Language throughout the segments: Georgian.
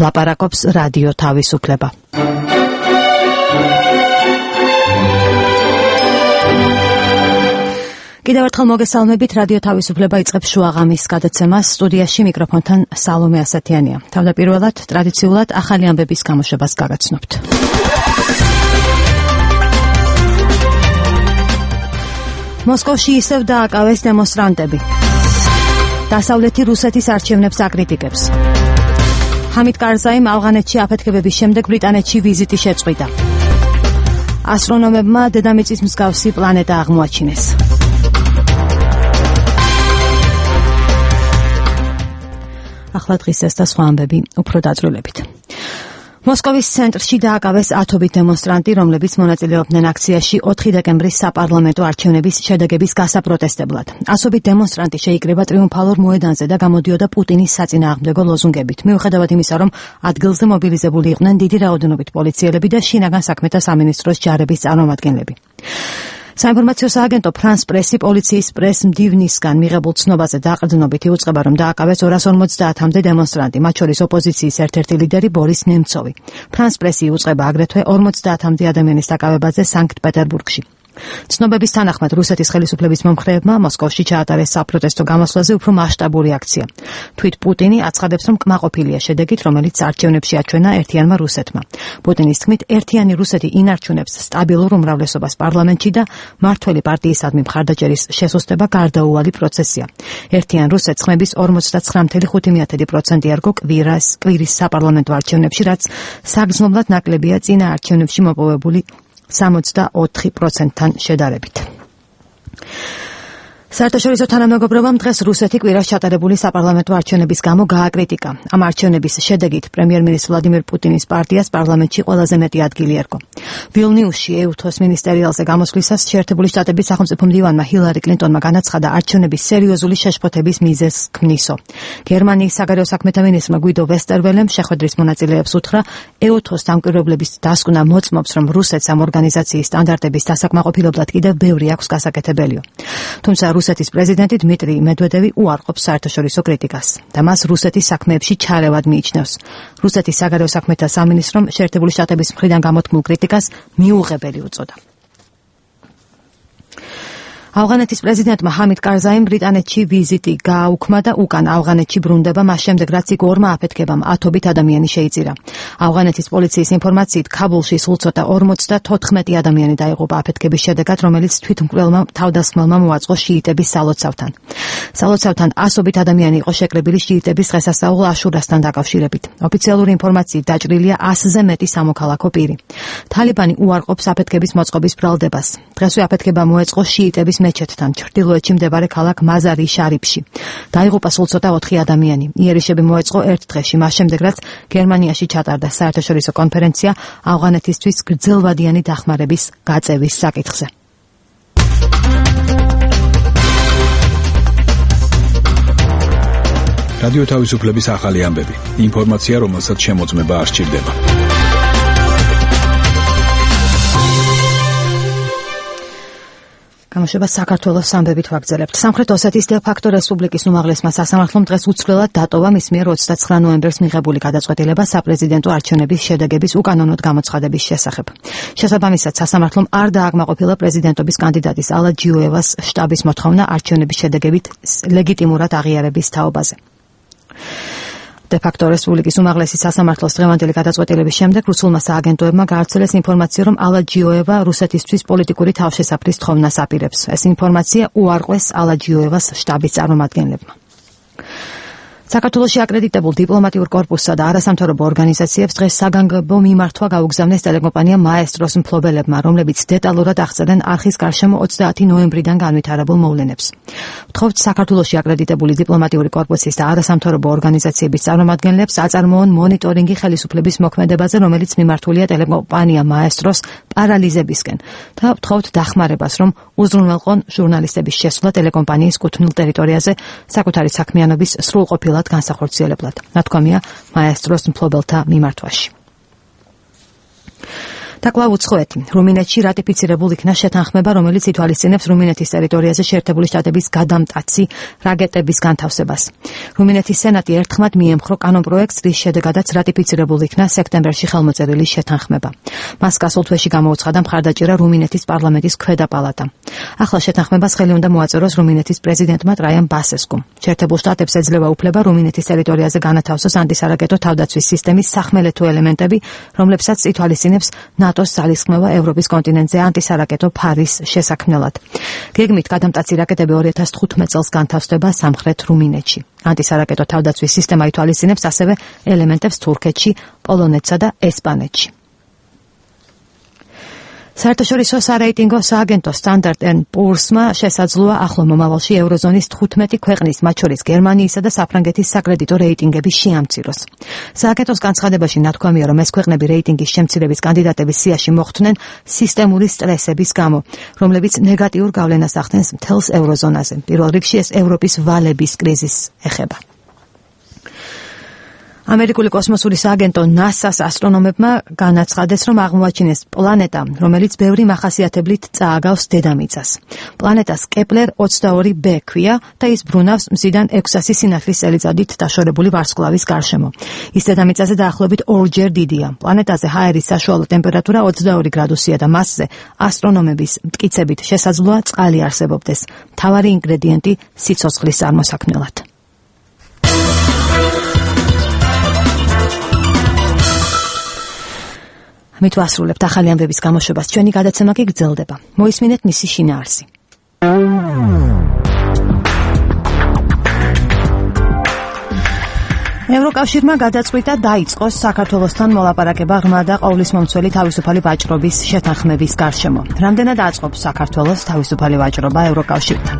ლაპარაკობს რადიო თავისუფლება. კიდევ ერთხელ მოგესალმებით, რადიო თავისუფლება იწყებს შუაღამის გადაცემას. სტუდიაში მიკროფონთან სალომე ასათიანია. თავდაპირველად ტრადიციულად ახალი ამბების გამოშვებას გაგაცნობთ. მოსკოვში ისევ დააკავეს დემონსტრანტები. დასავლეთი რუსეთის არჩევნებს აკრიტიკებს. ჰამიდ კარზაიმ ავღანეთში აფეთქებების შემდეგ ბრიტანეთში ვიზიტი შეწყვიტა. ასტრონომებმა დედამიწის მსგავსი პლანეტა აღმოაჩინეს. ახლა დღის ეს და სხვა ამბები უფრო დაწვრილებით. მოსკოვის ცენტრში დააკავეს ათობით დემონსტრანტი, რომლებიც მონაწილეობდნენ აქციაში 4 დეკემბრის საპარლამენტო არჩევნების შედეგების გასაპროტესტებლად. ასობით დემონსტრანტი შეიკრიბა ტრიუმფალურ მოედანზე და გამოდიოდა პუტინის საწინააღმდეგო ლოზუნგებით. მიუხედავად იმისა, რომ ადგილზე მობილიზებული იყვნენ დიდი რაოდენობით პოლიციელები და შინაგან საქმეთა სამინისტროს ჯარების წარმომადგენლები. საინფორმაციო სააგენტო ფრანს პრესი პოლიციის პრეს-მდივნისგან მიღებულ ცნობაზე დაყრდნობით იუწყება, რომ დააკავეს 250-მდე დემონსტრანტი, მათ შორის ოპოზიციის ერთ-ერთი ლიდერი ბორის ნემცოვი. ფრანს პრესი იუწყება აგრეთვე 50-მდე ადამიანის დაკავებაზე სანქტ-პეტერბურგში. ცნობების თანახმად რუსეთის ხელისუფლების მომხრეებმა მოსკოვში ჩაატარეს საპროტესტო გამოსვლაზე უფრო მასშტაბური აქცია. თვით პუტინი აცხადებს, რომ კმაყოფილია შედეგით, რომელიც არჩევნებში აჩვენა ერთიანმა რუსეთმა. პუტინის თქმით, ერთიანი რუსეთი ინარჩუნებს სტაბილურ უმრავლესობას პარლამენტში და მმართველი პარტიისადმი მხარდაჭერის შესუსტება გარდაუვალი პროცესია. ერთიან რუსეთს ხმების 49.5% ერგო კვირის საპარლამენტო არჩევნებში, რაც საგრძნობლად ნაკლებია წინა არჩევნებში მოპოვებული 64%-თან შედარებით. საერთაშორისო თანამეგობრობამ დღეს რუსეთი კვირას ჩატარებული საპარლამენტო არჩევნების გამო გააკრიტიკა. ამ არჩევნების შედეგით პრემიერ-მინისტრ ვლადიმერ პუტინის პარტიას პარლამენტში ყველაზე მეტი ადგილი ერგო. ვილნიუსში ეუთოს მინისტერიალზე გამოსვლისას შეერთებული შტატების სახელმწიფო მდივანმა ჰილარი კლინტონმა განაცხადა არჩევნების სერიოზული შეშფოთების მიზეზს ქმნისო. გერმანიის საგარეო საქმეთა მინისტრმა გვიდო ვესტერველემ შეხვედრის მონაწილეებს უთხრა, ეუთოს დამკვირვებლების დასკვნა მოწმობს, რომ რუსეთს ამ ორგანიზაციის სტანდარტების დასაკმაყოფილებლად კიდევ ბევრი აქვს გასაკეთებელიო. თუმცა რუსეთის პრეზიდენტი დმიტრი მედვედევი უარყოფს საერთაშორისო კრიტიკას და მას რუსეთის საქმეებში ჩარევად მიიჩნევს. რუსეთის საგარეო საქმეთა სამინისტრომ შეერთებული შტატების მხრიდან გამოთქმულ კრიტიკას მიუღებელი უწოდა. ავღანეთის პრეზიდენტმა ჰამიდ კარზაიმ ბრიტანეთში ვიზიტი გააუქმა და უკან ავღანეთში ბრუნდება მას შემდეგ, რაც იქ ორმა აფეთქებამ ათობით ადამიანი შეიწირა. ავღანეთის პოლიციის ინფორმაციით ქაბულში სულ ცოტა 54 ადამიანი დაიღუპა აფეთქების შედეგად, რომელიც თვითმკვლელმა თავდასხმელმა მოაწყო შიიტების სალოცავთან. სალოცავთან ასობით ადამიანი იყო შეკრებილი შიიტების დღესასწაულ აშურასთან დაკავშირებით. ოფიციალური ინფორმაციით დაჭრილია 100-ზე მეტი სამოქალაქო პირი. თალიბანი უარყოფს აფეთქების მოწყობის ბრალდებას. დღესვე აფეთქება მოეწყო შიიტების მეჩეთთან ჩრდილოეთში მდებარე ქალაქ მაზარი შარიფში. დაიღუპა სულ ცოტა 4 ადამიანი. იერიშები მოეწყო ერთ დღეში, მას შემდეგ რაც გერმანიაში ჩატარდა საერთაშორისო კონფერენცია ავღანეთისთვის გრძელვადიანი დახმარების გაწევის საკითხზე. რადიო თავისუფლების ახალი ამბები. ინფორმაცია, რომელსაც შემოწმება არ სჭირდება. გამოშვება საქართველოს ამბებით ვაგრძელებთ. სამხრეთ ოსეთის დე-ფაქტო რესპუბლიკის უმაღლესმა სასამართლომ დღეს უცვლელად დატოვა მის მიერ 29 ნოემბერს მიღებული გადაწყვეტილება საპრეზიდენტო არჩევნების შედეგების უკანონოდ გამოცხადების შესახებ. შესაბამისად, სასამართლომ არ დააკმაყოფილა პრეზიდენტობის კანდიდატის ალა ჯიოევას შტაბის მოთხოვნა არჩევნების შედეგებით ლეგიტიმურად აღიარების თაობაზე. დე-ფაქტო რესპუბლიკის უმაღლესი სასამართლოს დღევანდელი გადაწყვეტილების შემდეგ რუსულმა სააგენტოებმა გაავრცელეს ინფორმაცია, რომ ალა ჯიოევა რუსეთისთვის პოლიტიკური თავშესაფრის თხოვნას აპირებს. ეს ინფორმაცია უარყვეს ალა ჯიოევას შტაბის წარმომადგენლებმა. საქართველოში აკრედიტებულ დიპლომატიურ კორპუსსა და არასამთავრობო ორგანიზაციებს დღეს საგანგებო მიმართვა გაუგზავნეს ტელეკომპანია მაესტროს მფლობელებმა, რომლებიც დეტალურად აღწერენ არხის გარშემო 30 ნოემბრიდან განვითარებულ მოვლენებს. ვთხოვთ საქართველოში აკრედიტებული დიპლომატიური კორპუსის და არასამთავრობო ორგანიზაციების წარმომადგენლებს აწარმოონ მონიტორინგი ხელისუფლების მოქმედებაზე, რომელიც მიმართულია ტელეკომპანია მაესტროს პარალიზებისკენ და ვთხოვთ დახმარებას, რომ უზრუნველყონ ჟურნალისტების შესვლა ტელეკომპანიის კუთვნილ ტერიტორიაზე საკუთარი საქმიანობის სრულყოფილად განსახორციელებლად. ნათქვამია მაესტროს მფლობელთა მიმართვაში. და კვლავ უცხოეთი. რუმინეთში რატიფიცირებულ იქნა შეთანხმება, რომელიც ითვალისწინებს რუმინეთის ტერიტორიაზე შეერთებული შტატების გადამტაცი რაკეტების განთავსებას. რუმინეთის სენატი ერთხმად მიემხრო კანონპროექტს, რის შედეგადაც რატიფიცირებულ იქნა სექტემბერში ხელმოწერილი შეთანხმება. მას გასულ თვეში გამოუცხადა მხარდაჭერა რუმინეთის პარლამენტის ქვედა პალატამ. ახლა შეთანხმებას ხელი უნდა მოაწეროს რუმინეთის პრეზიდენტმა ტრაიან ბასესკუმ. შეერთებულ შტატებს ეძლევა უფლება რუმინეთის ტერიტორიაზე განათავსოს ანტისარაკეტო თავდაცვის სისტემის სახმელეთო ელემენტები, რომლებსაც ითვალისწინებს ნატოს ძალისხმევა ევროპის კონტინენტზე ანტისარაკეტო ფარის შესაქმნელად. გეგმით გადამტაცი რაკეტები 2015 წელს განთავსდება სამხრეთ რუმინეთში. ანტისარაკეტო თავდაცვის სისტემა ითვალისწინებს ასევე ელემენტებს თურქეთში, პოლონეთსა და ესპანეთში. საერთაშორისო სარეიტინგო სააგენტო Standard & Poor's-მა შესაძლოა ახლო მომავალში ევროზონის 15 ქვეყნის, მათ შორის გერმანიისა და საფრანგეთის საკრედიტო რეიტინგები შეამციროს. სააგენტოს განცხადებაში ნათქვამია, რომ ეს ქვეყნები რეიტინგის შემცირების კანდიდატების სიაში მოხვდნენ სისტემური სტრესების გამო, რომლებიც ნეგატიურ გავლენას ახდენს მთელს ევროზონაზე. პირველ რიგში ეს ევროპის ვალების კრიზისს ეხება. ამერიკული კოსმოსური სააგენტო NASA-ს ასტრონომებმა განაცხადეს, რომ აღმოაჩინეს პლანეტა, რომელიც ბევრი მახასიათებლით წააგავს დედამიწას. პლანეტას კეპლერ 22b ქვია და ის ბრუნავს მზიდან 600 სინათლის წელიწადით დაშორებული ვარსკვლავის გარშემო. ის დედამიწაზე დაახლოებით 2-ჯერ დიდია. პლანეტაზე ჰაერის საშუალო ტემპერატურა 22 გრადუსია და მასზე ასტრონომების მტკიცებით შესაძლოა წყალი არსებობდეს, მთავარი ინგრედიენტი სიცოცხლის წარმოსაქმნელად. მით ვასრულებთ ახალი ამბების გამოშვებას. ჩვენი გადაცემა კი გრძელდება. მოისმინეთ მისი შინაარსი. ევროკავშირმა გადაწყვიტა დაიწყოს საქართველოსთან მოლაპარაკება ღრმა და ყოვლისმომცველი თავისუფალი ვაჭრობის შეთანხმების გარშემო. რამდენად აწყობს საქართველოს თავისუფალი ვაჭრობა ევროკავშირთან?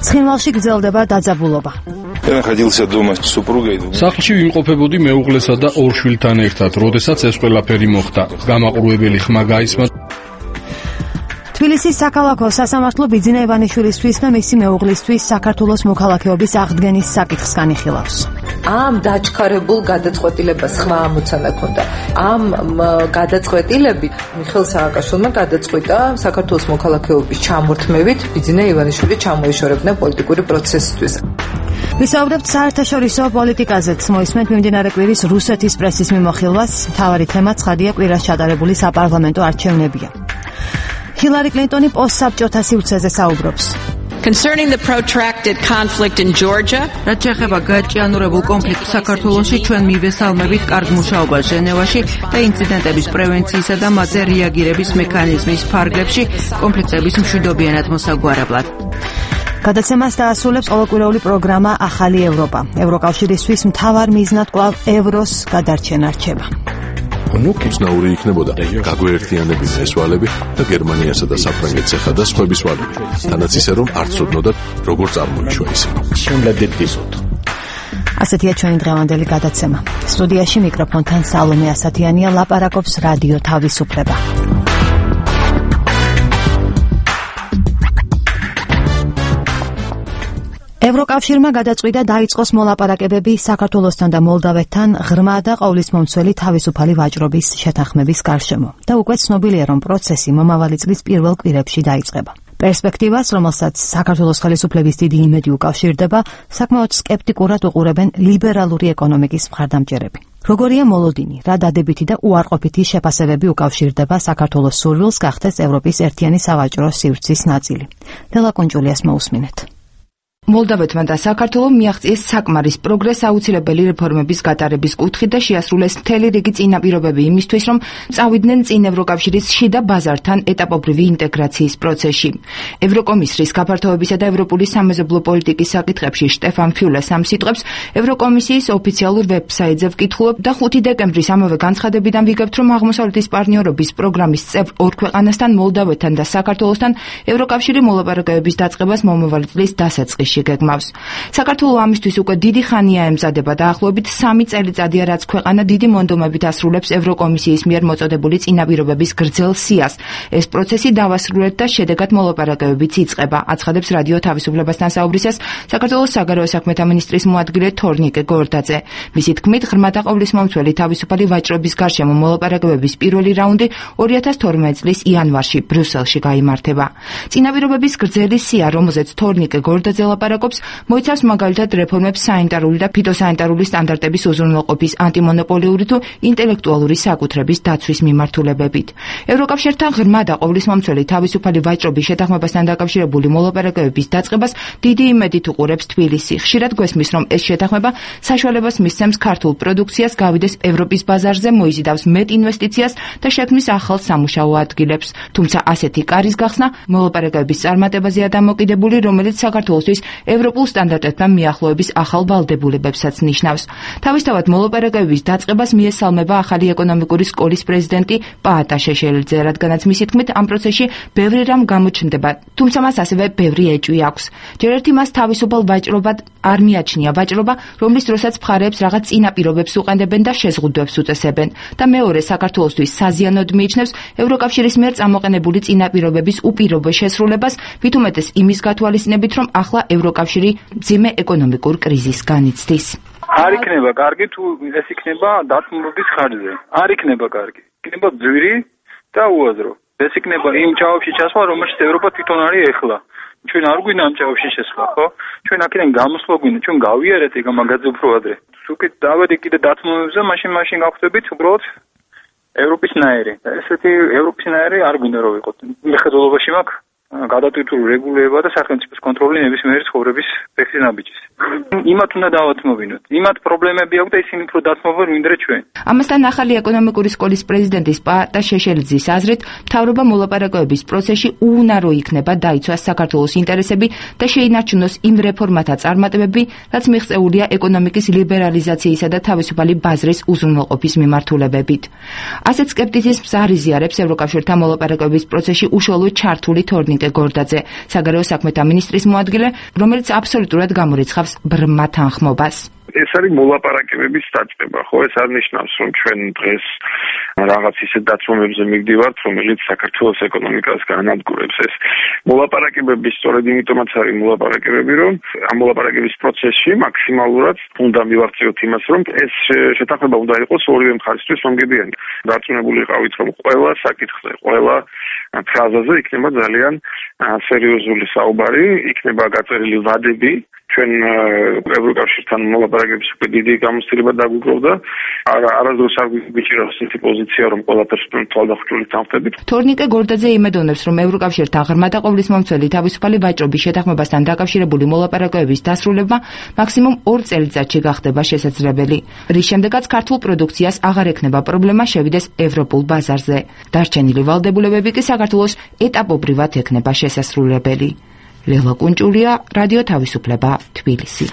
ცხინვალში გრძელდება დაძაბულობა. სახლში ვიმყოფებოდი მეუღლესა და 2 შვილთან ერთად, როდესაც ეს ყველაფერი მოხდა. გამაყურებელი ხმა გაისმა. თბილისის საქალაქო სასამართლო ბიძინა ივანიშვილისთვის და მისი მეუღლისთვის საქართველოს მოქალაქეობის აღდგენის საკითხს განიხილავს. ამ დაჩქარებულ გადაწყვეტილებას ხმა ამოცანა ქონდა. ამ გადაწყვეტილებით მიხეილ სააკაშვილმა გადაწყვიტა საქართველოს მოქალაქეობის ჩამორთმევით ბიძინა ივანიშვილი ჩამოეშორებინა პოლიტიკური პროცესისთვის. ვისაუბრებთ საერთაშორისო პოლიტიკაზეც. მოისმენთ მიმდინარე კვირის რუსეთის პრესის მიმოხილვას. მთავარი თემა ცხადია კვირას ჩატარებული საპარლამენტო არჩევნებია. ჰილარი კლინტონი პოსტსაბჭოთა სივრცეზე საუბრობს. Concerning the protracted conflict in Georgia, რაც შეეხება გაჭიანურებულ კონფლიქტს საქართველოში, ჩვენ მივესალმებით კარგ მუშაობას ჟენევაში და ინციდენტების პრევენციისა და მათზე რეაგირების მექანიზმის ფარგლებში კონფლიქტების მშვიდობიანად მოსაგვარებლად. გადაცემას დაასრულებს ყოველკვირეული პროგრამა ახალი ევროპა. ევროკავშირისთვის მთავარ მიზნად კვლავ ევროს გადარჩენა რჩება. უცნაური იქნებოდა გაგვეერთიანების ესვალები და გერმანიასა და საფრანგეთს ეხადა სხვების ვალები, თანაც ისე რომ არ ცოდნოდათ როგორ წარმოიშვა ისინი. ასეთია ჩვენი დღევანდელი გადაცემა. სტუდიაში მიკროფონთან სალომე ასათიანია, ლაპარაკობს რადიო თავისუფლება. ევროკავშირმა გადაწყვიტა დაიწყოს მოლაპარაკებები საქართველოსთან და მოლდავეთთან ღრმა და ყოვლისმომცველი თავისუფალი ვაჭრობის შეთანხმების გარშემო და უკვე ცნობილია, რომ პროცესი მომავალი წლის პირველ კვირებში დაიწყება. პერსპექტივას, რომელსაც საქართველოს ხელისუფლების დიდი იმედი უკავშირდება, საკმაოდ სკეპტიკურად უყურებენ ლიბერალური ეკონომიკის მხარდამჭერები. როგორია მოლოდინი, რა დადებითი და უარყოფითი შეფასებები უკავშირდება საქართველოს სურვილს გახდეს ევროპის ერთიანი სავაჭრო სივრცის ნაწილი. ლელა კუნჭულიას მოусმინეთ. მოლდავეთმა და საქართველომ მიაღწიეს საკმარის პროგრესს აუცილებელი რეფორმების გატარების კუთხით და შეასრულეს მთელი რიგი წინაპირობები იმისთვის, რომ წავიდნენ წინ ევროკავშირის შიდა ბაზართან ეტაპობრივი ინტეგრაციის პროცესში. ევროკომისრის გაფართოებისა და ევროპული სამეზობლო პოლიტიკის საკითხებში შტეფან ფიულეს ამ სიტყვებს ევროკომისიის ოფიციალურ ვებსაიტზე ვკითხულობ და 5 დეკემბრის ამავე განცხადებიდან ვიგებთ, რომ აღმოსავლეთის პარტნიორობის პროგრამის წევრ 2 ქვეყანასთან, მოლდავეთთან და საქართველოსთან ევროკავშირი მოლაპარაკებების დაწყებას მომავალი წლის დასაწყისში ბრიუსელში გეგმავს. საქართველო ამისთვის უკვე დიდი ხანია ემზადება და ახლობით 3 წელიწადია რაც ქვეყანა დიდი მონდომებით ასრულებს ევროკომისიის მიერ მოწოდებული წინაპირობების გრძელ სიას. ეს პროცესი დავასრულეთ და შედეგად მოლაპარაკებებიც იწყება, აცხადებს რადიო თავისუფლებასთან საუბრისას საქართველოს საგარეო საქმეთა მინისტრის მოადგილე თორნიკე გორდაძე. მისი თქმით, ღრმა და ყოვლისმომცველი თავისუფალი ვაჭრობის გარშემო მოლაპარაკებების პირველი რაუნდი 2012 წლის იანვარში ბრიუსელში გაიმართება. წინაპირობების გრძელი სია, რომელზეც თორნიკე გორდაძე ლაპარაკობს, მოიცავს მაგალითად რეფორმებს საინიტარული და ფიტოსანიტარული სტანდარტების უზრუნველყოფის, ანტიმონოპოლიური თუ ინტელექტუალური საკუთრების დაცვის მიმართულებებით. ევროკავშირთან ღრმა და ყოვლისმომცველი თავისუფალი ვაჭრობის შეთანხმებასთან დაკავშირებული მოლაპარაკებების დაწყებას დიდი იმედით უყურებს თბილისი. ხშირად გვესმის, რომ ეს შეთანხმება საშუალებას მისცემს ქართულ პროდუქციას გავიდეს ევროპის ბაზარზე, მოიზიდავს მეტ ინვესტიციას და შექმნის ახალ სამუშაო ადგილებს. თუმცა ასეთი კარის გახსნა მოლაპარაკებების წარმატებაზეა დამოკიდებული, რომელიც საქართველოსთვის ევროპულ სტანდარტებთან მიახლოების ახალ ვალდებულებებსაც ნიშნავს. თავისთავად მოლაპარაკებების დაწყებას მიესალმება ახალი ეკონომიკური სკოლის პრეზიდენტი პაატა შეშელიძე, რადგანაც მისი თქმით ამ პროცესში ბევრი რამ გამოჩნდება, თუმცა მას ასევე ბევრი ეჭვი აქვს. ჯერ ერთი მას თავისუფალ ვაჭრობად არ მიაჩნია ვაჭრობა, რომლის დროსაც მხარეებს რაღაც წინაპირობებს უყენდებენ და შეზღუდვებს უწესებენ და მეორე საქართველოსთვის საზიანოდ მიიჩნევს ევროკავშირის მიერ წამოყენებული წინაპირობების უპირობო შესრულებას, მით უმეტეს იმის გათვალისწინებით, რომ ახლა ევროკავშირი მძიმე ეკონომიკურ კრიზისს განიცდის. არ იქნება კარგი თუ ეს იქნება დათმობების ხარჯზე. არ იქნება კარგი. იქნება ძვირი და უაზრო. ეს იქნება იმ ჭაობში ჩასვლა, რომელშიც ევროპა თვითონ არის ეხლა. ჩვენ არ გვინდა ამ ჭაობში შესვლა, ხო? ჩვენ აქედან გამოსვლა გვინდა, ჩვენ გავიარეთ ეგ მაგაზე უფრო ადრე. უკეთ დავედი კიდე დათმობებზე, მაშინ გავხდებით უბრალოდ ევროპისნაირი. ესეთი ევროპისნაირი არ გვინდა რომ ვიყოთ. მხედველობაში მაქვს გადატვირთული რეგულირება და სახელმწიფოს კონტროლი ნებისმიერი ცხოვრების ფეხის ნაბიჯის. იმათ უნდა დავათმობინოთ. იმათ პრობლემები აქვს და ისინი უფრო დათმობენ ვინდრე ჩვენ. ამასთან ახალი ეკონომიკური სკოლის პრეზიდენტის პაატა შეშელიძის აზრით, მთავრობა მოლაპარაკებების პროცესში უუნარო იქნება დაიცვას საქართველოს ინტერესები და შეინარჩუნოს იმ რეფორმათა წარმატებები, რაც მიღწეულია ეკონომიკის ლიბერალიზაციისა და თავისუფალი ბაზრის უზრუნველყოფის მიმართულებებით. ასეთ სკეპტიციზმს არ იზიარებს ევროკავშირთან მოლაპარაკებების პროცესში უშუალოდ ჩართული თორნიკე გორდაძე, საგარეო საქმეთა მინისტრის მოადგილე, რომელიც აბსოლუტურად გამორიცხავს ბრმა თანხმობას. ეს არის მოლაპარაკებების დაწყება, ხო? ეს არ ნიშნავს, რომ ჩვენ დღეს რაღაც ისეთ დათმობებზე მივდივართ, რომელიც საქართველოს ეკონომიკას განადგურებს. ეს მოლაპარაკებები სწორედ იმიტომაც არის მოლაპარაკებები, რომ ამ მოლაპარაკების პროცესში მაქსიმალურად უნდა მივაღწიოთ იმას, რომ ეს შეთანხმება უნდა იყოს ორივე მხარისთვის მომგებიანი. დარწმუნებული ვიყავით, რომ ყველა საკითხზე, ყველა ფრაზაზე იქნება ძალიან სერიოზული საუბარი, იქნება გაწერილი ვადები. ჩვენ ევროკავშირთან მოლაპარაკების უკვე დიდი გამოცდილება დაგვიგროვდა. არასდროს არ გვიჭირავს ისეთი პოზიცია, რომ ყველაფერს თვალდახშული თანხმდებით. თორნიკე გორდაძე იმედოვნებს, რომ ევროკავშირთან ღრმა და ყოვლისმომცველი თავისუფალი ვაჭრობის შეთანხმებასთან დაკავშირებული მოლაპარაკებების დასრულება მაქსიმუმ 2 წელიწადში გახდება შესაძლებელი, რის შემდეგაც ქართულ პროდუქციას აღარ ექნება პრობლემა შევიდეს ევროპულ ბაზარზე. დარჩენილი ვალდებულებები კი საქართველოს ეტაპობრივად ექნება შესასრულებელი. ლელა კუნჭულია, რადიო თავისუფლება, თბილისი.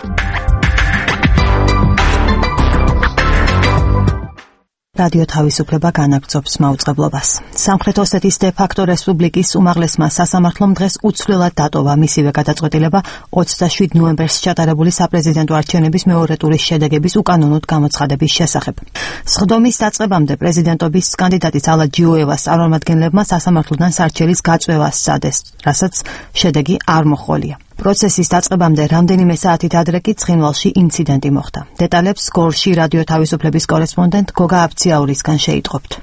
რადიო თავისუფლება განაგრძობს მაუწყებლობას. სამხრეთ ოსეთის დე-ფაქტო რესპუბლიკის უმაღლესმა სასამართლომ დღეს უცვლელად დატოვა მისივე გადაწყვეტილება 27 ნოემბერს ჩატარებული საპრეზიდენტო არჩევნების მეორე ტურის შედეგების უკანონოდ გამოცხადების შესახებ. სხდომის დაწყებამდე პრეზიდენტობის კანდიდატის ალა ჯიოევას წარმომადგენლებმა სასამართლოდან სარჩელის გაწვევა სცადეს, რასაც შედეგი არ მოჰყოლია. პროცესის დაწყებამდე რამდენიმე საათით ადრე კი ცხინვალში ინციდენტი მოხდა. დეტალებს გორში რადიო თავისუფლების კორესპონდენტ გოგა აბციაურისგან შეიტყობთ.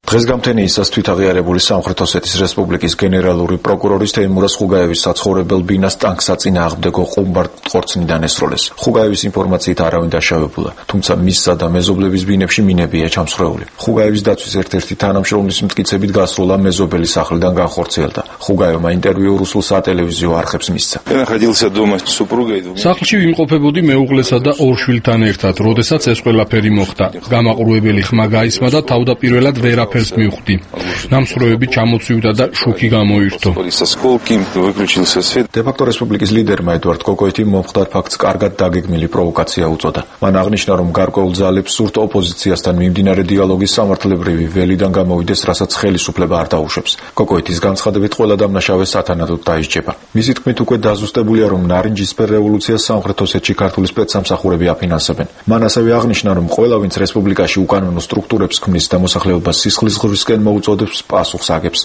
დღესგამთენიისას თვითაღიარებული სამხრეთ ოსეთის რესპუბლიკის გენერალური პროკურორის თეიმურაზ ხუგაევის საცხოვრებელ ბინას ტანკსაწინააღმდეგო ყუმბარ-ყორცნიდან ესროლეს. ხუგაევის ინფორმაციით არავინ დაშავებულა, თუმცა მისსა და მეზობლების ბინებში მინებია ჩამსხვრეული. ხუგაევის დაცვის ერთ-ერთი თანამშრომლის მტკიცებით გასროლა მეზობელი სახლიდან განხორციელდა. ხუგაევმა ინტერვიუ რუსულ სატელევიზიო არხებს მისცა. სახლში ვიმყოფებოდი მეუღლესა და 2 შვილთან ერთად, როდესაც ეს ყველაფერი მოხდა. გამაყურებელი ხმა გაისმა და თავდაპირველად ვერაფერი ყველაფერს მივხვდი. ნამსხვრევები ჩამოცივდა და შუქი გამოირთო. დე-ფაქტო რესპუბლიკის ლიდერმა ედვარდ კოკოიტიმ მომხდარ ფაქტს კარგად დაგეგმილი პროვოკაცია უწოდა. მან აღნიშნა, რომ გარკვეულ ძალებს სურთ ოპოზიციასთან მიმდინარე დიალოგის სამართლებრივი ველიდან გამოვიდეს, რასაც ხელისუფლება არ დაუშვებს. კოკოიტის განცხადებით ყველა დამნაშავე სათანადოდ დაისჯება. მისი თქმით, უკვე დაზუსტებულია, რომ ნარინჯისფერ რევოლუციას სამხრეთ ოსეთში ქართული სპეცსამსახურები აფინანსებენ. მან ასევე აღნიშნა, რომ ყველა, ვინც რესპუბლიკაში უკანონო სტრუქტურებს ქმნის და მოსახლეობას სისხლის ღრისკენ მოუწოდებს, პასუხს აგებს.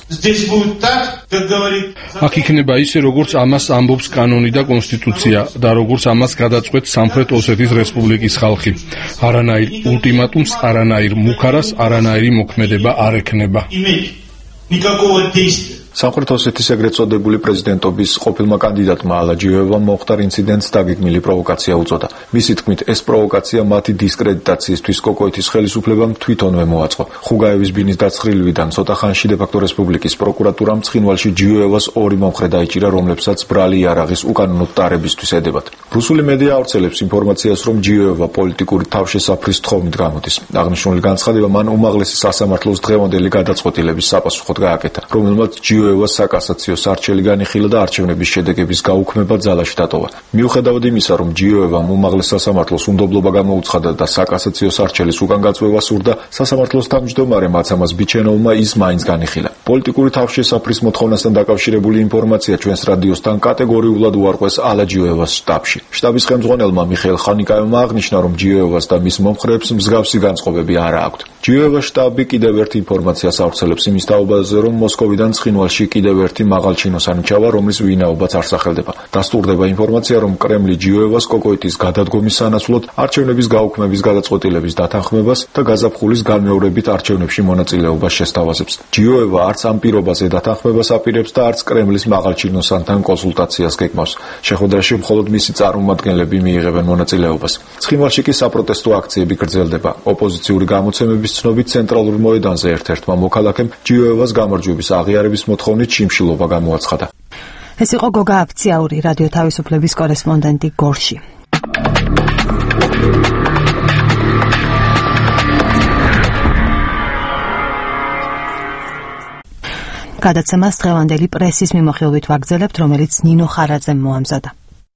აქ იქნება ისე, როგორც ამას ამბობს კანონი და კონსტიტუცია და როგორც ამას გადაწყვეტს სამხრეთ ოსეთის რესპუბლიკის ხალხი. არანაირ ულტიმატუმს, არანაირ მუქარას, არანაირი მოქმედება არ ექნება. სამხრეთ ოსეთის ეგრეთ წოდებული პრეზიდენტობის ყოფილმა კანდიდატმა ალაჯიევამ მომხდარ ინციდენტს დაგეგმილი პროვოკაცია უწოდა. მისი თქმით, ეს პროვოკაცია მათი დისკრედიტაციისთვის კოკოიტის ხელისუფლებამ თვითონვე მოაწყო. ხუგაევის ბინის დაცხრილივიდან ცოტა ხანში დე-ფაქტო რესპუბლიკის პროკურატურამ ცხინვალში ჯიუევას ორი მომხრე დაიჭირა, რომლებსაც ბრალი იარაღის უკანონო ტარებისთვის ედებათ. რუსული მედია ავრცელებს ინფორმაციას, რომ ჯიუევა პოლიტიკური თავშესაფრის თხოვნით გამოდის. აღნიშნული განცხადება მან უმაღლესი სასამართლოს დღევანდელი გადაწყვეტილების საპასუხოდ გააკეთა, რომელმაც ჯიუევას საკასაციო სარჩელი განიხილა და არჩევნების შედეგების გაუქმება ძალაში დატოვა. მიუხედავად იმისა, რომ ჯიუევამ უმაღლეს სასამართლოს უნდობლობა გამოუცხადა და საკასაციო სარჩელის უკან გაწვევა სურდა, სასამართლოს თავმჯდომარე მაცამას ბიჩენოვმა ის მაინც განიხილა. პოლიტიკური თავშესაფრის მოთხოვნასთან დაკავშირებული ინფორმაცია ჩვენს რადიოსთან კატეგორიულად უარყვეს ალაჯიევას შტაბში. შტაბის ხელმძღვანელმა მიხეილ ხანიკაევმა აღნიშნა, რომ ჯიუევას და მის მომხრეებს მსგავსი განწყობები არ აქვთ. ჯიუევას შტაბი კიდევ ერთ ინფორმაციას ავრცელებს იმის თაობაზე, რომ მოსკოვიდან ცხინვალში კიდევ ერთი მაღალჩინოსანი ჩავა, რომლის ვინაობაც არ სახელდება. დასტურდება ინფორმაცია, რომ კრემლი ჯიუევას კოკოიტის გადადგომის სანაცვლოდ არჩევნების გაუქმების გადაწყვეტილების დათანხმებას და გაზაფხულის განმეორებით არჩევნებში მონაწილეობას შესთავაზებს. ჯიუევა არც ამ პირობაზე დათანხმებას აპირებს და არც კრემლის მაღალჩინოსანთან კონსულტაციას გეგმავს. შეხვედრაში მხოლოდ მისი წარმომადგენლები მიიღებენ მონაწილეობას. ცხინვალში კი საპროტესტო აქციები გრძელდება. ოპოზიციური გამოცემების ცნობით ცენტრალურ მოედანზე ერთ-ერთმა მოქალაქემ ჯიუევას გამარჯვების აღიარების მოთხოვნით შიმშილობა გამოაცხადა. ეს იყო გოგა აფციაური, რადიო თავისუფლების კორესპონდენტი გორში. გადაცემას დღევანდელი პრესის მიმოხილვით ვაგრძელებთ, რომელიც ნინო ხარაძემ მოამზადა.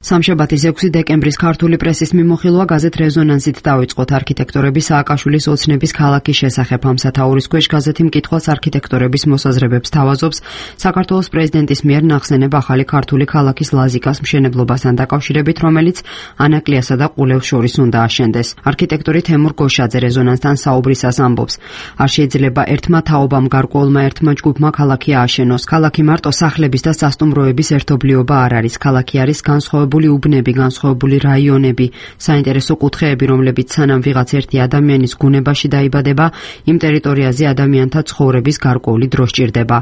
სამშაბათის 6 დეკემბრის ქართული პრესის მიმოხილვა გაზეთ რეზონანსით დავიწყოთ. არქიტექტორების სააკაშვილის ოცნების ქალაქის შესახებ ამ სათაურის ქვეშ გაზეთი მკითხველს არქიტექტორების მოსაზრებებს თავაზობს საქართველოს პრეზიდენტის მიერ ნახსენებ ახალი ქართული ქალაქის ლაზიკას მშენებლობასთან დაკავშირებით, რომელიც ანაკლიასა და ყულევს შორის უნდა აშენდეს. არქიტექტორი თემურ გოშაძე რეზონანსთან საუბრისას ამბობს: არ შეიძლება ერთმა თაობამ გარკვეულმა ერთმა ჯგუფმა ქალაქი ააშენოს. ქალაქი მარტო სახლების და სასტუმროების ერთობლიობა არ არის. ქალაქი არის განსხვავებული უბნები, განსხვავებული რაიონები, საინტერესო კუთხეები, რომლებიც სანამ ვიღაც ერთი ადამიანის გუნებაში დაიბადება, იმ ტერიტორიაზე ადამიანთა ცხოვრების გარკვეული დრო სჭირდება.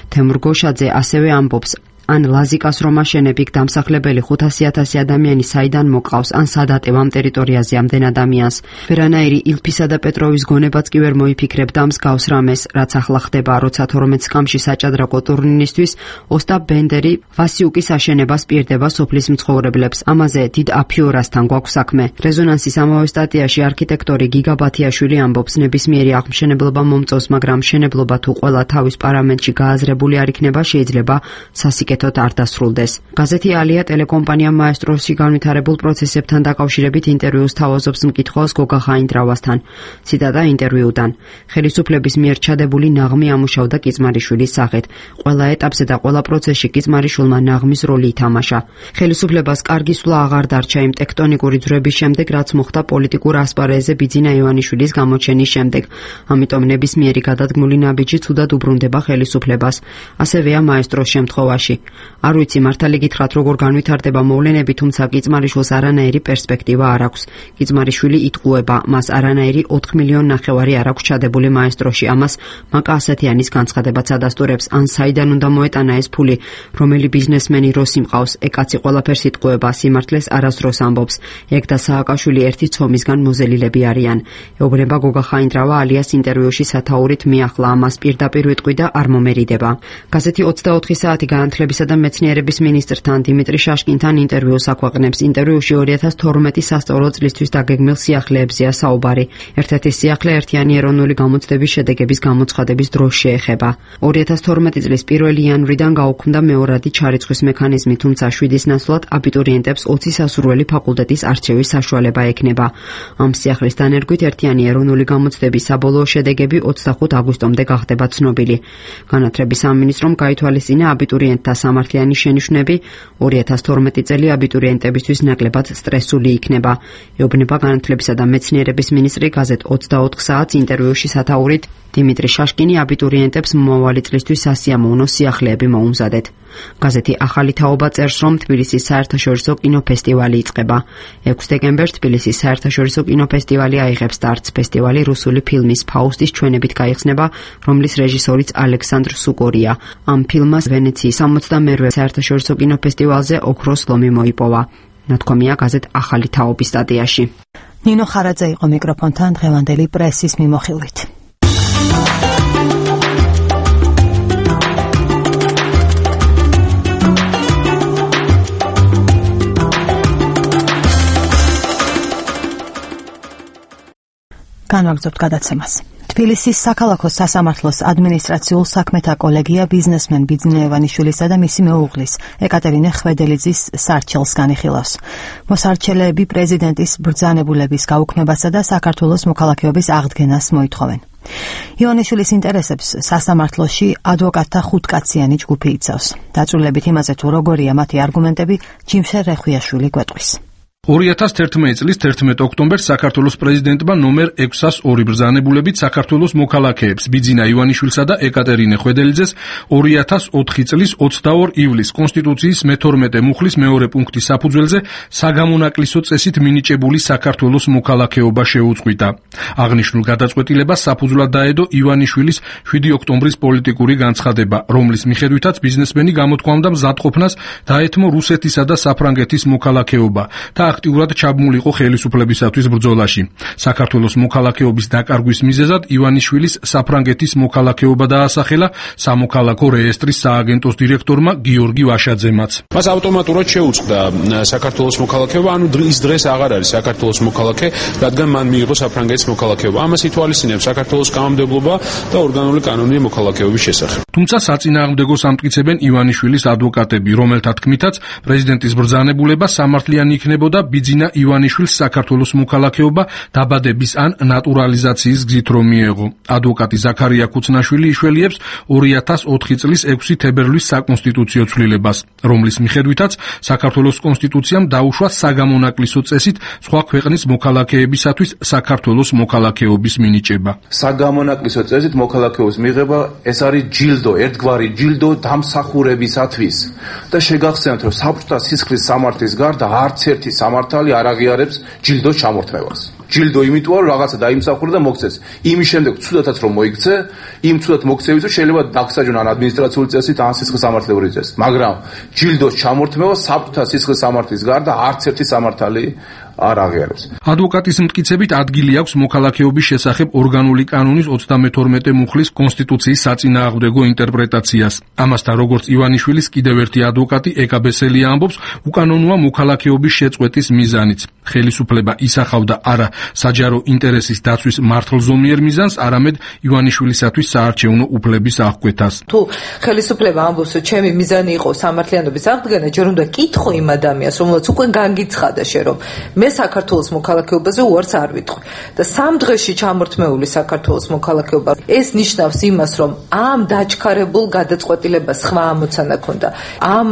თემურ გოშაძე ასევე ამბობს: ან ლაზიკას რომ აშენებ, იქ დამსახლებელი 500,000 ადამიანი საიდან მოყავს, ან სადატევ ამ ტერიტორიაზე ამდენ ადამიანს. ვერანაირი ილფისა და პეტროვის გონებაც კი ვერ მოიფიქრებ და მსგავს რამეს, რაც ახლა ხდება, როცა 12 სკამში საჭადრაკო ტურნირისთვის ოსტაპ ბენდერი ვასიუკის აშენებას პირდება სოფლის მცხოვრებლებს. ამაზე დიდ აფიორასთან გვაქვს საქმე. რეზონანსის ამავე სტატიაში არქიტექტორი გიგა ბათიაშვილი ამბობს: ნებისმიერი აღმშენებლობა მომწონს, მაგრამ მშენებლობა თუ ყველა თავის პარამეტრში გააზრებული არ იქნება, შეიძლება სასიკეთოდ არ დასრულდეს. გაზეთი ალია ტელეკომპანია მაესტროსში განვითარებულ პროცესებთან დაკავშირებით ინტერვიუს თავაზობს მკითხველს გოგა ხაინდრავასთან. ციტატა ინტერვიუდან: ხელისუფლების მიერ ჩადებული ნაღმი ამუშავდა კიწმარიშვილის სახით. ყველა ეტაპზე და ყველა პროცესში კიწმარიშვილმა ნაღმის როლი ითამაშა. ხელისუფლებას კარგი სვლა აღარ დარჩა იმ ტექტონიკური ძვრების შემდეგ, რაც მოხდა პოლიტიკურ ასპარეზზე ბიძინა ივანიშვილის გამოჩენის შემდეგ. ამიტომ ნებისმიერი გადადგმული ნაბიჯი ცუდად უბრუნდება ხელისუფლებას. ასევეა მაესტროს შემთხვევაში. არ ვიცი მართალი გითხრათ როგორ განვითარდება მოვლენები, თუმცა კიწმარიშვილს არანაირი პერსპექტივა არ აქვს. კიწმარიშვილი იტყუება, მას არანაირი 4,5 მილიონი არ აქვს ჩადებული მაესტროში. ამას მაკა ასათიანის განცხადებაც ადასტურებს. ან საიდან უნდა მოეტანა ეს ფული, რომელი ბიზნესმენი როსი მყავს, ეკაცი ყველაფერს იტყუება, სიმართლეს არასდროს ამბობს. ეგ და სააკაშვილი ერთი ცომისგან მოზელილები არიან. ეუბნება გოგა ხაინდრავა ალიას ინტერვიუში სათაურით მიახლა, ამას პირდაპირ ვიტყვი და არ მომერიდება. გაზეთი 24 საათი განათლების განათლებისა და მეცნიერების მინისტრთან დიმიტრი შაშკინთან ინტერვიუს აქვეყნებს. ინტერვიუში 2012 სასწავლო წლისთვის დაგეგმილ სიახლეებზეა საუბარი. ერთ-ერთი სიახლე ერთიანი ეროვნული გამოცდების შედეგების გამოცხადების დროს შეეხება. 2012 წლის 1 იანვრიდან გაუქმდა მეორადი ჩარიცხვის მექანიზმი, თუმცა 7-ის ნაცვლად აბიტურიენტებს 20 სასურველი ფაკულტეტის არჩევის საშუალება ექნება. ამ სიახლის დანერგვით ერთიანი ეროვნული გამოცდების საბოლოო შედეგები 25 აგვისტომდე გახდება ცნობილი. განათლების სამინისტრომ გაითვალისწინა აბიტურიენტთა სამართლიანი შენიშვნები, 2012 წელი აბიტურიენტებისთვის ნაკლებად სტრესული იქნება. ეუბნება განათლებისა და მეცნიერების მინისტრი გაზეთ 24 საათს ინტერვიუში სათაურით დიმიტრი შაშკინი აბიტურიენტებს მომავალი წლისთვის სასიამოვნო სიახლეები მოუმზადეთ. გაზეთი ახალი თაობა წერს, რომ თბილისის საერთაშორისო კინოფესტივალი იწყება. 6 დეკემბერს თბილისის საერთაშორისო კინოფესტივალი აიღებს სტარტს. ფესტივალი რუსული ფილმის ფაუსტის ჩვენებით გაიხსნება, რომლის რეჟისორიც ალექსანდრ სუკორია. ამ ფილმას ვენეციის 62-მე საერთაშორისო კინოფესტივალზე ოქროს ლომი მოიპოვა. ნათქვამია გაზეთ ახალი თაობის სტატიაში. ნინო ხარაძე იყო მიკროფონთან დღევანდელი პრესის მიმოხილვით. განვაგრძობთ გადაცემას. თბილისის საქალაქო სასამართლოს ადმინისტრაციულ საქმეთა კოლეგია ბიზნესმენ ბიძინა ივანიშვილისა და მისი მეუღლის ეკატერინე ხვედელიძის სარჩელს განიხილავს. მოსარჩელეები პრეზიდენტის ბრძანებულების გაუქმებასა და საქართველოს მოქალაქეობის აღდგენას მოითხოვენ. ივანიშვილის ინტერესებს სასამართლოში ადვოკატთა ხუთკაციანი ჯგუფი იცავს. დაწვრილებით იმაზე თუ როგორია მათი არგუმენტები, ჯიმშე რეხვიაშვილი გვეტყვის. 2011 წლის 11 ოქტომბერს საქართველოს პრეზიდენტმა ნომერ 602 ბრძანებულებით საქართველოს მოქალაქეებს ბიძინა ივანიშვილსა და ეკატერინე ხვედელიძეს 2004 წლის 22 ივლისს კონსტიტუციის მე-12 მუხლის მეორე პუნქტის საფუძველზე საგამონაკლისო წესით მინიჭებული საქართველოს მოქალაქეობა შეუწყვიტა. აღნიშნულ გადაწყვეტილებას საფუძვლად დაედო ივანიშვილის 7 ოქტომბრის პოლიტიკური განცხადება, რომლის მიხედვითაც ბიზნესმენი გამოთქვამდა მზადყოფნას დაეთმო რუსეთისა და საფრანგეთის მოქალაქეობა და აქტიურად ჩაბმულიყო ხელისუფლებისათვის ბრძოლაში. საქართველოს მოქალაქეობის დაკარგვის მიზეზად ივანიშვილის საფრანგეთის მოქალაქეობა დაასახელა სამოქალაქო რეესტრის სააგენტოს დირექტორმა გიორგი ვაშაძემაც. მას ავტომატურად შეუწყდა საქართველოს მოქალაქეობა, ანუ ის დღეს აღარ არის საქართველოს მოქალაქე, რადგან მან მიიღო საფრანგეთის მოქალაქეობა. ამას ითვალისწინებს საქართველოს კანონმდებლობა და ორგანული კანონია მოქალაქეობის შესახებ. თუმცა საწინააღმდეგოს ამტკიცებენ ივანიშვილის ადვოკატები, რომელთა თქმითაც პრეზიდენტის ბრძანებულება სამართლიანი იქნებოდა ბიძინა ივანიშვილს საქართველოს მოქალაქეობა დაბადების ან ნატურალიზაციის გზით რომ მიეღო. ადვოკატი ზაქარია ქუცნაშვილი იშველიებს 2004 წლის 6 თებერვლის საკონსტიტუციო ცვლილებას, რომლის მიხედვითაც საქართველოს კონსტიტუციამ დაუშვა საგამონაკლისო წესით სხვა ქვეყნის მოქალაქეებისათვის საქართველოს მოქალაქეობის მინიჭება. საგამონაკლისო წესით მოქალაქეობის მიღება ეს არის ჯილდო, ერთგვარი ჯილდო დამსახურებისათვის და შეგახსენებთ, რომ საბჭოთა სისხლის სამართლის გარდა არც ერთი სამართალი არ აღიარებს ჯილდოს ჩამორთმევას. ჯილდო იმიტოა რომ რაღაცა დაიმსახურა და მოგცეს. იმის შემდეგ ცუდათაც რომ მოიქცე, იმ ცუდად მოქცევისთვის შეიძლება დაგსაჯონ ან ადმინისტრაციული წესით, ან სისხლის სამართლებრივი წესით. მაგრამ ჯილდოს ჩამორთმევა საბჭოთა სისხლის სამართლის გარდა არც ერთი სამართალი არ აღიარებს. ადვოკატის მტკიცებით ადგილი აქვს მოქალაქეობის შესახებ ორგანული კანონის 32 მუხლის კონსტიტუციის საწინააღმდეგო ინტერპრეტაციას. ამასთან როგორც ივანიშვილის კიდევ ერთი ადვოკატი ეკა ბესელია ამბობს, უკანონოა მოქალაქეობის შეწყვეტის მიზანიც. ხელისუფლება ისახავდა არა საჯარო ინტერესის დაცვის მართლზომიერ მიზანს, არამედ ივანიშვილისათვის საარჩევნო უფლების აღკვეთას. თუ ხელისუფლება ამბობს, რომ ჩემი მიზანი იყო სამართლიანობის აღდგენა, ჯერ უნდა კითხო იმ ადამიანს, რომელსაც უკვე განგიცხადა შე რომ მე საქართველოს მოქალაქეობაზე უარს არ ვიტყვი და 3 დღეში ჩამორთმეული საქართველოს მოქალაქეობა ეს ნიშნავს იმას, რომ ამ დაჩქარებულ გადაწყვეტილებას სხვა ამოცანა ქონდა. ამ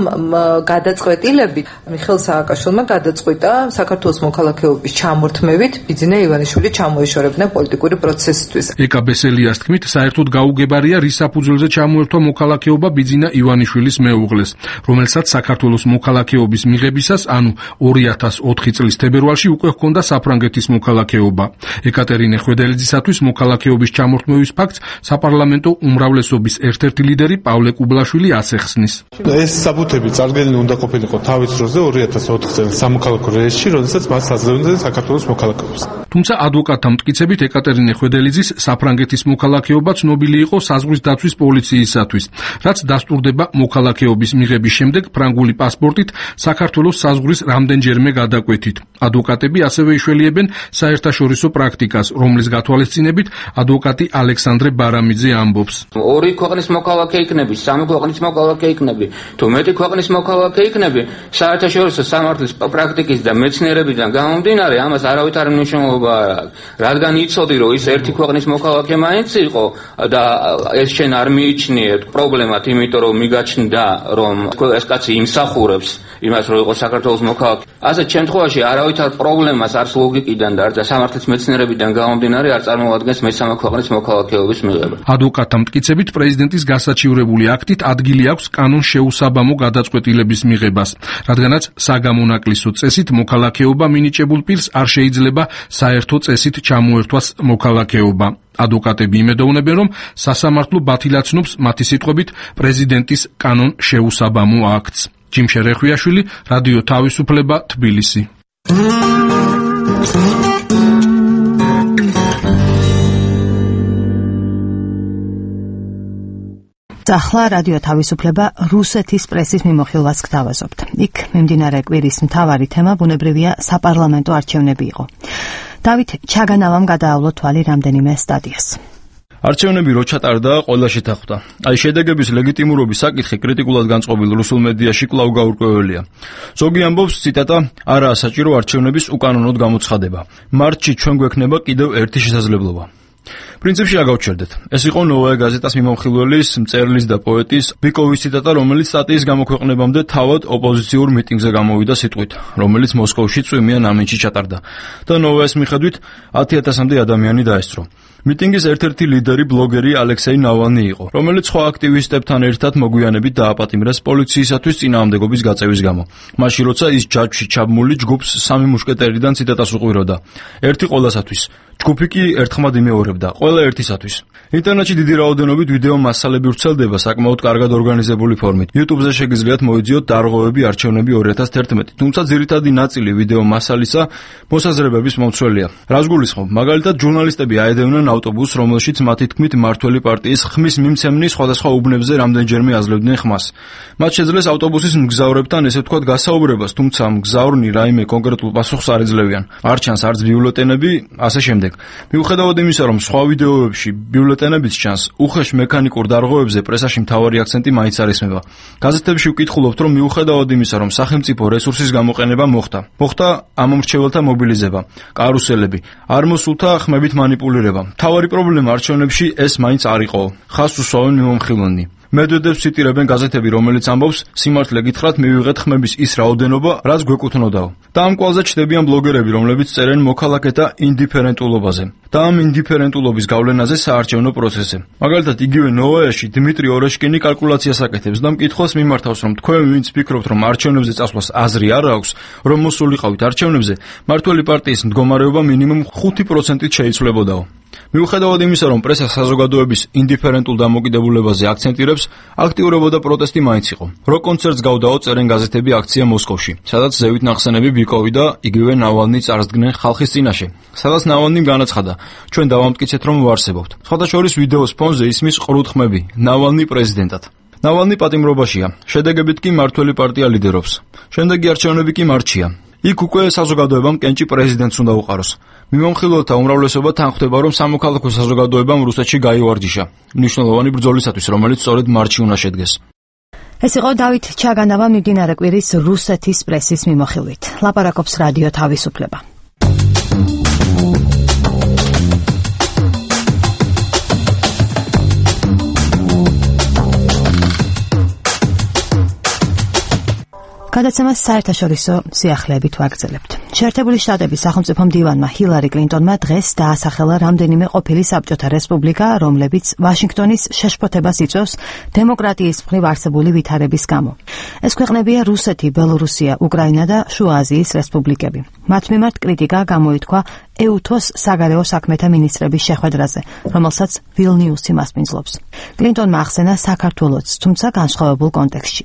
გადაწყვეტილებით მიხეილ სააკაშვილმა გადაწყვიტა საქართველოს მოქალაქეობის ჩამორთმევით ბიძინა ივანიშვილი ჩამოეშორებინა პოლიტიკური პროცესისთვის. ეკა ბესელიას თქმით, საერთოდ გაუგებარია რის საფუძველზე ჩამოერთვა მოქალაქეობა ბიძინა ივანიშვილის მეუღლეს, რომელსაც საქართველოს მოქალაქეობის მიღებისას, ანუ 2004 წლის თებერვალში პირველში უკვე ჰქონდა საფრანგეთის მოქალაქეობა. ეკატერინე ხვედელიძისათვის მოქალაქეობის ჩამორთმევის ფაქტს საპარლამენტო უმრავლესობის ერთ-ერთი ლიდერი პავლე კუბლაშვილი ასახსნის. ეს საბუთები წარდგენილი უნდა ყოფილიყო თავის დროზე 2004 წელს სამოქალაქო რეესტრში, როდესაც მას აძლევდნენ საქართველოს მოქალაქეობას. თუმცა ადვოკატთა მტკიცებით ეკატერინე ხვედელიძის საფრანგეთის მოქალაქეობა ცნობილი იყო საზღვრის დაცვის პოლიციისათვის, რაც დასტურდება მოქალაქეობის მიღების შემდეგ ფრანგული პასპორტით საქართველოს საზღვრის რამდენჯერმე გადაკვეთით. ადვოკატები ასევე იშველიებენ საერთაშორისო პრაქტიკას, რომლის გათვალისწინებით ადვოკატი ალექსანდრე ბარამიძე ამბობს. ორი ქვეყნის მოქალაქე იქნები, სამი ქვეყნის მოქალაქე იქნები, თუ მეტი ქვეყნის მოქალაქე იქნები, საერთაშორისო სამართლის პრაქტიკის და მეცნიერებიდან გამომდინარე, ამას არავითარი მნიშვნელობა არ აქვს. რადგან იცოდი, რომ ის ერთი ქვეყნის მოქალაქე მაინც იყო და ეს შენ არ მიიჩნიეთ პრობლემად, იმიტომ რომ მიგაჩნდა, რომ ეს კაცი იმსახურებს იმას, რომ იყოს საქართველოს მოქალაქე. ასეთ შემთხვევაში არავითარ პრობლემას არც ლოგიკიდან და არც სამართლის მეცნიერებიდან გამომდინარე არ წარმოადგენს მესამე ქვეყნის მოქალაქეობის მიღება. ადვოკატთა მტკიცებით პრეზიდენტის გასაჩივრებული აქტით ადგილი აქვს კანონ შეუსაბამო გადაწყვეტილების მიღებას, რადგანაც საგამონაკლისო წესით მოქალაქეობა მინიჭებულ პირს არ შეიძლება საერთო წესით ჩამოერთვას მოქალაქეობა. ადვოკატები იმედოვნებენ, რომ სასამართლო ბათილაცნობს მათი სიტყვებით პრეზიდენტის კანონ შეუსაბამო აქტს. ჯიმშე რეხვიაშვილი, რადიო თავისუფლება, თბილისი. ახლა რადიო თავისუფლება რუსეთის პრესის მიმოხილვას გთავაზობთ. იქ მიმდინარე კვირის მთავარი თემა ბუნებრივია საპარლამენტო არჩევნები იყო. დავით ჩაგანავამ გადაავლო თვალი რამდენიმე სტადიას. არჩევნები რო ჩატარდა, ყველა შეთანხმდა. აი შედეგების ლეგიტიმურობის საკითხი კრიტიკულად განწყობილ რუსულ მედიაში კვლავ გაურკვეველია. ზოგი ამბობს, ციტატა, არაა საჭირო არჩევნების უკანონოდ გამოცხადება. მარტში ჩვენ გვექნება კიდევ ერთი შესაძლებლობა. პრინციპში აგავჩერდეთ. ეს იყო ნოვაია გაზეტას მიმოხილველის, მწერლის და პოეტის ბიკოვის ციტატა, რომელიც სტატიის გამოქვეყნებამდე თავად ოპოზიციურ მიტინგზე გამოვიდა სიტყვით, რომელიც მოსკოვში წვიმიან ამინში ჩატარდა და ნოვაის მიხედვით 10,000-მდე ადამიანი დაესწრო. მიტინგის ერთ-ერთი ლიდერი ბლოგერი ალექსეი ნავალნი იყო, რომელიც სხვა აქტივისტებთან ერთად მოგვიანებით დააპატიმრეს პოლიციისათვის წინააღმდეგობის გაწევის გამო. მაშინ როცა ის ჯაჭვში ჩაბმული ჯგუფს სამი მუშკეტერიდან ციტატას უყვიროდა. ერთი ყველასათვის, ჯგუფი კი ერთხმად იმეორებდა, ყველა ერთისათვის. ინტერნეტში დიდი რაოდენობით ვიდეო მასალები ვრცელდება საკმაოდ კარგად ორგანიზებული ფორმით. YouTube-ზე შეგიძლიათ მოიძიოთ დარღვევები არჩევნები 2011, თუმცა ძირითადი ნაწილი ვიდეო მასალისა მოსაზრებების მომცველია. რას გულისხმობ? მაგალითად, ჟურნალისტები აედევნენ ავტობუსს, რომელშიც მათი თქმით მმართველი პარტიის ხმის მიმცემნი სხვადასხვა უბნებზე რამდენჯერმე აძლევდნენ ხმას. მათ შეძლეს ავტობუსის მგზავრებთან ესე ვთქვათ გასაუბრებას, თუმცა მგზავრნი რაიმე კონკრეტულ პასუხს არ ეძლევიან. არ ჩანს არც ბიულეტენები, ასე შემდეგ. მიუხედავად იმისა, რომ სხვა ვიდეოებში ბიულეტენებიც ჩანს, უხეშ მექანიკურ დარღვევებზე პრესაში მთავარი აქცენტი მაინც არ ისმება. გაზეთებში ვკითხულობთ, რომ მიუხედავად იმისა, რომ სახელმწიფო რესურსის გამოყენება მოხდა ამომრჩეველთა მობილიზება, კარუსელები, არ მოსულთა ხმებით მანიპულირება. მთავარი პრობლემა არჩევნებში ეს მაინც არ იყო. ხაზს უსვამენ მიმოხილვენი. მედვედევს ციტირებენ გაზეთები, რომელიც ამბობს, სიმართლე გითხრათ, მივიღეთ ხმების ის რაოდენობა, რაც გვეკუთვნოდაო. და ამ კვალზე ჩნდებიან ბლოგერები, რომლებიც წერენ მოქალაქეთა ინდიფერენტულობაზე და ამ ინდიფერენტულობის გავლენაზე საარჩევნო პროცესზე. მაგალითად, იგივე ნოვაიაში დიმიტრი ორეშკინი კალკულაციას აკეთებს და მკითხველს მიმართავს, რომ თქვენ ვინც ფიქრობთ, რომ არჩევნებზე წასვლას აზრი არ აქვს, რომ მოსულიყავით არჩევნებზე, მმართველი პარტიის მდგომარეობა მინიმუმ 5%-ით შეიცვლებოდაო. მიუხედავად იმისა, რომ პრესა საზოგადოების ინდიფერენტულ დამოკიდებულებაზე აქცენტირებს, აქტიურებოდა პროტესტი მაინც იყო. როკ კონცერტს გავდაო, წერენ გაზეთები აქცია მოსკოვში, სადაც ზევით ნახსენები ბიკოვი და იგივე ნავალნი წარსდგნენ ხალხის წინაშე, სადაც ნავალნიმ განაცხადა, ჩვენ დავამტკიცეთ, რომ ვარსებობთ. სხვადასხვა ვიდეოს ფონზე ისმის ყრუდხმები, ნავალნი პრეზიდენტად. ნავალნი პატიმრობაშია, შედეგებით კი მმართველი პარტია ლიდერობს. შემდეგი არჩევნები კი მარტშია. იქ უკვე საზოგადოებამ კენჭი პრეზიდენტს უნდა უყაროს. მიმოხილველთა უმრავლესობა თანხმდება, რომ სამოქალაქო საზოგადოებამ რუსეთში გაივარჯიშა მნიშვნელოვანი ბრძოლისათვის, რომელიც სწორედ მარტში უნდა შედგეს. ეს იყო დავით ჩაგანავა მიმდინარე კვირის რუსეთის პრესის მიმოხილვით. ლაპარაკობს რადიო თავისუფლება. გადაცემას საერთაშორისო სიახლეებით ვაგრძელებთ. შეერთებული შტატების სახელმწიფო მდივანმა ჰილარი კლინტონმა დღეს დაასახელა რამდენიმე ყოფილი საბჭოთა რესპუბლიკა, რომლებიც ვაშინგტონის შეშფოთებას იწვევს დემოკრატიის მხრივ არსებული ვითარების გამო. ეს ქვეყნებია რუსეთი, ბელორუსია, უკრაინა და შუა აზიის რესპუბლიკები. მათ მიმართ კრიტიკა გამოითქვა EUTOS საგარეო საქმეთა მინისტრების შეხვედრაზე, რომელსაც ვილნიუსი მასპინძლობს. კლინტონმა ახსენა საქართველოც, თუმცა განსხვავებულ კონტექსტში.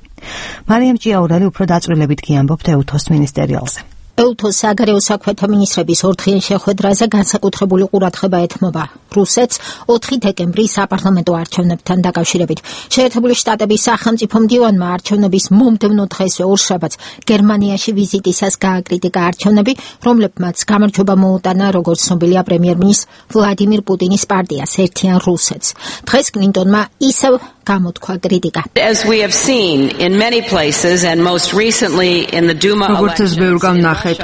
მარიამ ჭიაურელი უფრო დაწვრილებით გიამბობთ EUTOS მინისტერიალზე. EUTOS საგარეო საქმეთა მინისტრების ორდღიან შეხვედრაზე განსაკუთრებული ყურადღება ეთმობა რუსეთს 4 დეკემბრის საპარლამენტო არჩევნებთან დაკავშირებით. შეერთებული შტატების სახელმწიფო მდივანმა არჩევნების მომდევნო დღესვე ორშაბათს გერმანიაში ვიზიტისას გააკრიტიკა არჩევნები, რომლებმაც გამარჯვება მოუტანა, როგორც ცნობილია, პრემიერ-მინისტრ ვლადიმირ პუტინის პარტიას ერთიან რუსეთს. დღეს კლინტონმა ისევ გამოთქვა კრიტიკა. As we have seen in many places and most recently in the Duma elections,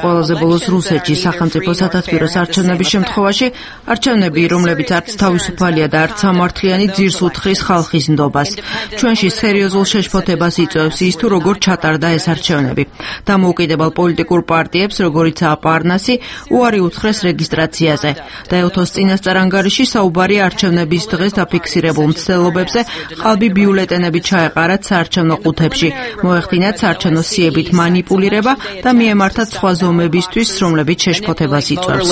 ყველაზე ბოლოს რუსეთში სახელმწიფო სათათბიროს არჩევნების შემთხვევაში არჩევნები, რომლებიც არც თავისუფალია და არც სამართლიანი, ძირს უთხრის ხალხის ნდობას. ჩვენში სერიოზულ შეშფოთებას იწვევს ის, თუ როგორ ჩატარდა ეს არჩევნები. დამოუკიდებელ პოლიტიკურ პარტიებს, როგორიცაა პარნასი, უარი უთხრეს რეგისტრაციაზე. და EUTOS წინასწარ ანგარიში საუბარია არჩევნების დღეს დაფიქსირებულ მცდელობებზე, ყალბი ბიულეტენები ჩაეყარათ საარჩევნო ყუთებში, მოეხდინათ საარჩევნო სიებით მანიპულირება და მიემართათ სხვა ზომებისთვის, რომლებიც შეშფოთებას იწვევს.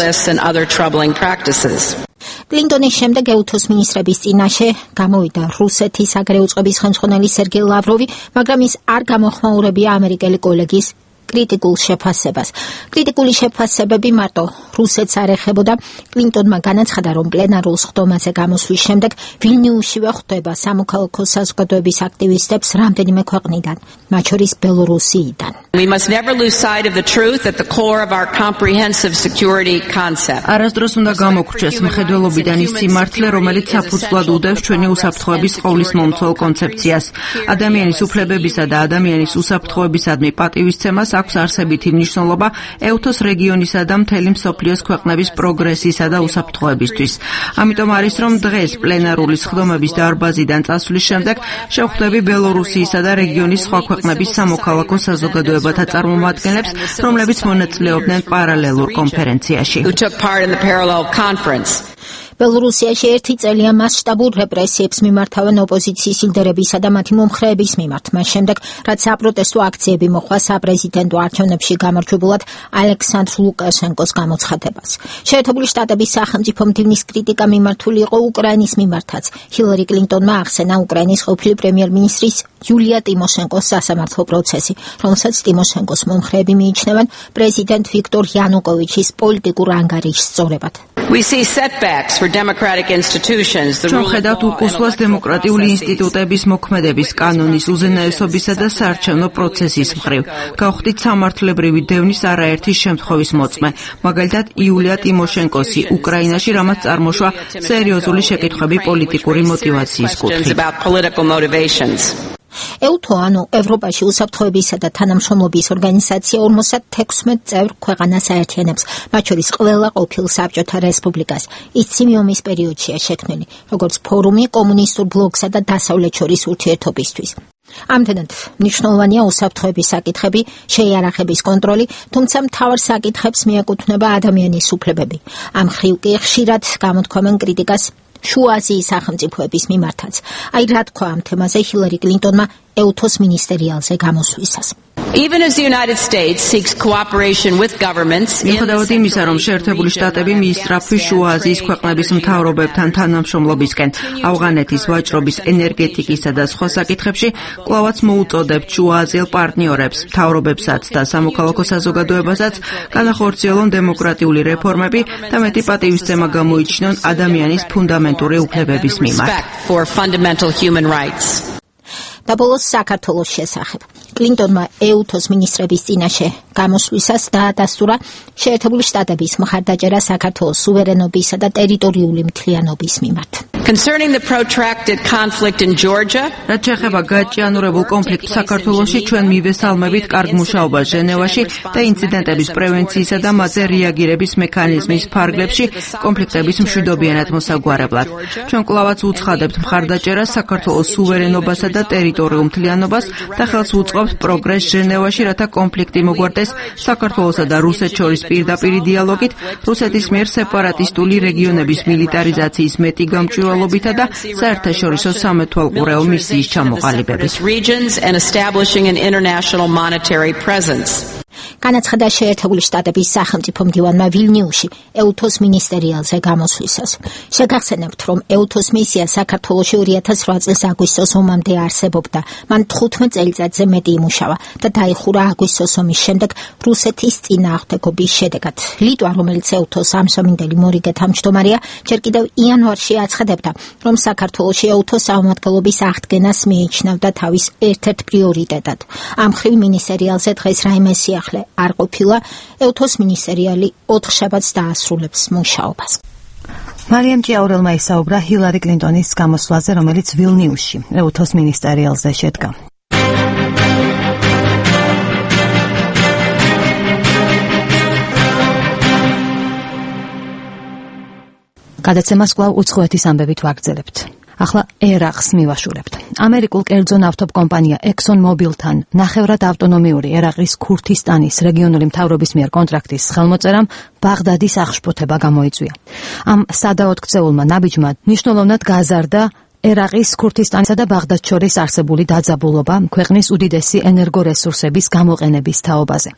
კლინტონის შემდეგ EUTOS მინისტრების წინაშე გამოვიდა რუსეთის საგარეო წყობის ხელმძღვანელი სერგეი ლავროვი, მაგრამ ის არ გამოხმაურებია ამერიკელი კოლეგის კრიტიკულ შეფასებას. კრიტიკული შეფასებები მარტო რუსეთს არ ეხებოდა. კლინტონმა განაცხადა, რომ პლენარულ სხდომაზე გამოსვლის შემდეგ ვილნიუსშივე ხვდება სამოქალაქო საზოგადოების აქტივისტებს რამდენიმე ქვეყნიდან, მათ შორის ბელორუსიიდან. We must never lose sight of the truth at the core of our comprehensive security concept. არასდროს უნდა გამოგრჩეს მხედველობიდან ის სიმართლე, რომელიც საფუძვლად უდევს ჩვენი უსაფრთხოების ყოვლის მომცველ კონცეფციას. ადამიანის უფლებებისა და ადამიანის უსაფრთხოებისადმი პატივისცემას აქვს არსებითი მნიშვნელობა EUTOS რეგიონისა და მთელი მსოფლიოს ქვეყნების პროგრესისა და უსაფრთხოებისთვის. ამიტომ არის, რომ დღეს პლენარული სხდომების დარბაზიდან წასვლის შემდეგ შევხვდები ბელორუსიისა და რეგიონის სხვა ქვეყნების სამოქალაქო საზოგადოებათა წარმომადგენლებს, რომლებიც მონაწილეობდნენ პარალელურ კონფერენციაში. ბელორუსიაში 1 წელია მასშტაბურ რეპრესიებს მიმართავენ ოპოზიციის ლიდერებისა და მათი მომხრეების მიმართ. მას შემდეგ, რაც საპროტესტო აქციები მოხდა საპრეზიდენტო არჩევნებში გამარჯვებულად ალექსანდრ ლუკაშენკოს გამოცხადებას. შეერთებული შტატების სახელმწიფო მდივნის კრიტიკა მიმართული იყო უკრაინის მიმართაც. ჰილარი კლინტონმა ახსენა უკრაინის ყოფილი პრემიერ-მინისტრის იულია ტიმოშენკოს სასამართლო პროცესი, რომელსაც ტიმოშენკოს მომხრეები მიიჩნევენ პრეზიდენტ ვიქტორ იანუკოვიჩის პოლიტიკურ ანგარიშს სწორებად. We see setbacks for democratic institutions. ჩვენ ხედავთ უკუსლას დემოკრატიული ინსტიტუტების მოქმედების კანონის უზენაესობისა და საარჩევნო პროცესის მხრივ. გავხდით სამართლებრივი დევნის არაერთი შემთხვევის მოწმე, მაგალითად იულია ტიმოშენკოსი უკრაინაში, რამაც წარმოშვა სერიოზული შეკითხვები პოლიტიკური მოტივაციის კუთხით. EUTO, ანუ ევროპაში უსაფრთხოებისა და თანამშრომლობის ორგანიზაცია 56 წევრ ქვეყანას აერთიანებს, მათ შორის ყველა ყოფილ საბჭოთა რესპუბლიკას. ის ცივი ომის პერიოდშია შექმნილი, როგორც ფორუმი კომუნისტურ ბლოკსა და დასავლეთ შორის ურთიერთობისთვის. ამდენად მნიშვნელოვანია უსაფრთხოების საკითხები, შეიარაღების კონტროლი, თუმცა მთავარ საკითხებს მიეკუთვნება ადამიანის უფლებები. ამ მხრივ კი ხშირად გამოთქვამენ კრიტიკას შუა აზიის სახელმწიფოების მიმართაც. აი რა თქვა ამ თემაზე ჰილარი კლინტონმა EUTOS მინისტერიალზე გამოსვლისას. Even as the United States seeks cooperation with governments, მიუხედავად იმისა, რომ შეერთებული შტატები მიისწრაფვის შუა აზიის ქვეყნების მთავრობებთან თანამშრომლობისკენ, ავღანეთის ვაჭრობის, ენერგეტიკისა და სხვა საკითხებში, კვლავაც მოუწოდებთ შუა აზიელ პარტნიორებს, მთავრობებსაც და სამოქალაქო საზოგადოებასაც განახორციელონ დემოკრატიული რეფორმები და მეტი პატივისცემა გამოიჩინონ ადამიანის ფუნდამენტური უფლებების მიმართ. და ბოლოს საქართველოს შესახებ. კლინტონმა EUTOS მინისტრების წინაშე გამოსვლისას დაადასტურა შეერთებული შტატების მხარდაჭერა საქართველოს სუვერენობისა და ტერიტორიული მთლიანობის მიმართ. Concerning the protracted conflict in Georgia, რაც შეეხება გაჭიანურებულ კონფლიქტს საქართველოში, ჩვენ მივესალმებით კარგ მუშაობას ჟენევაში და ინციდენტების პრევენციისა და მათზე რეაგირების მექანიზმის ფარგლებში კონფლიქტების მშვიდობიანად მოსაგვარებლად. ჩვენ კვლავაც უცხადებთ მხარდაჭერას საქართველოს სუვერენობასა და ტერიტორიულ მთლიანობას და ხელს უწყობთ აკრავს პროგრესს ჟენევაში, რათა კონფლიქტი მოგვარდეს საქართველოსა და რუსეთს შორის პირდაპირი დიალოგით, რუსეთის მიერ სეპარატისტული რეგიონების მილიტარიზაციის მეტი გამჭვირვალობითა და საერთაშორისო სამეთვალყურეო მისიის ჩამოყალიბებით. განაცხადა შეერთებული შტატების სახელმწიფო მდივანმა ვილნიუსში ეუთოს მინისტერიალზე გამოსვლისას. შეგახსენებთ, რომ ეუთოს მისია საქართველოში 2008 წლის აგვისტოს ომამდე არსებობდა. მან 15 წელიწადზე მეტი იმუშავა და დაიხურა აგვისტოს ომის შემდეგ რუსეთის წინააღმდეგობის შედეგად. ლიტვა, რომელიც ეუთოს ამსამინდელი მორიგე თავმჯდომარეა, ჯერ კიდევ იანვარში აცხადებდა, რომ საქართველოში ეუთოს სამმართველობის აღდგენას მიიჩნევდა თავის ერთ-ერთ პრიორიტეტად. ამ მხრივ მინისტერიალზე დღეს რაიმე სიახლე არ ყოფილა, ეუთოს მინისტერიალი 4 შაბათს დაასრულებს მუშაობას. მარიამ ჭიაურელმა ისაუბრა ჰილარი კლინტონის გამოსვლაზე, რომელიც ვილნიუსში ეუთოს მინისტერიალზე შედგა. გადაცემას კვლავ უცხოეთის ამბებით ვაგრძელებთ. ახლა ერაყს მივაშურებთ. ამერიკულ კერძო ნავთობკომპანია ExxonMobilთან ნახევრად ავტონომიური ერაყის ქურთისტანის რეგიონული მთავრობის მიერ კონტრაქტის ხელმოწერამ ბაღდადის აღშფოთება გამოიწვია. ამ სადაოდ ქცეულმა ნაბიჯმა მნიშვნელოვნად გაზარდა ერაყის ქურთისტანსა და ბაღდადს შორის არსებული დაძაბულობა ქვეყნის უდიდესი ენერგორესურსების გამოყენების თაობაზე.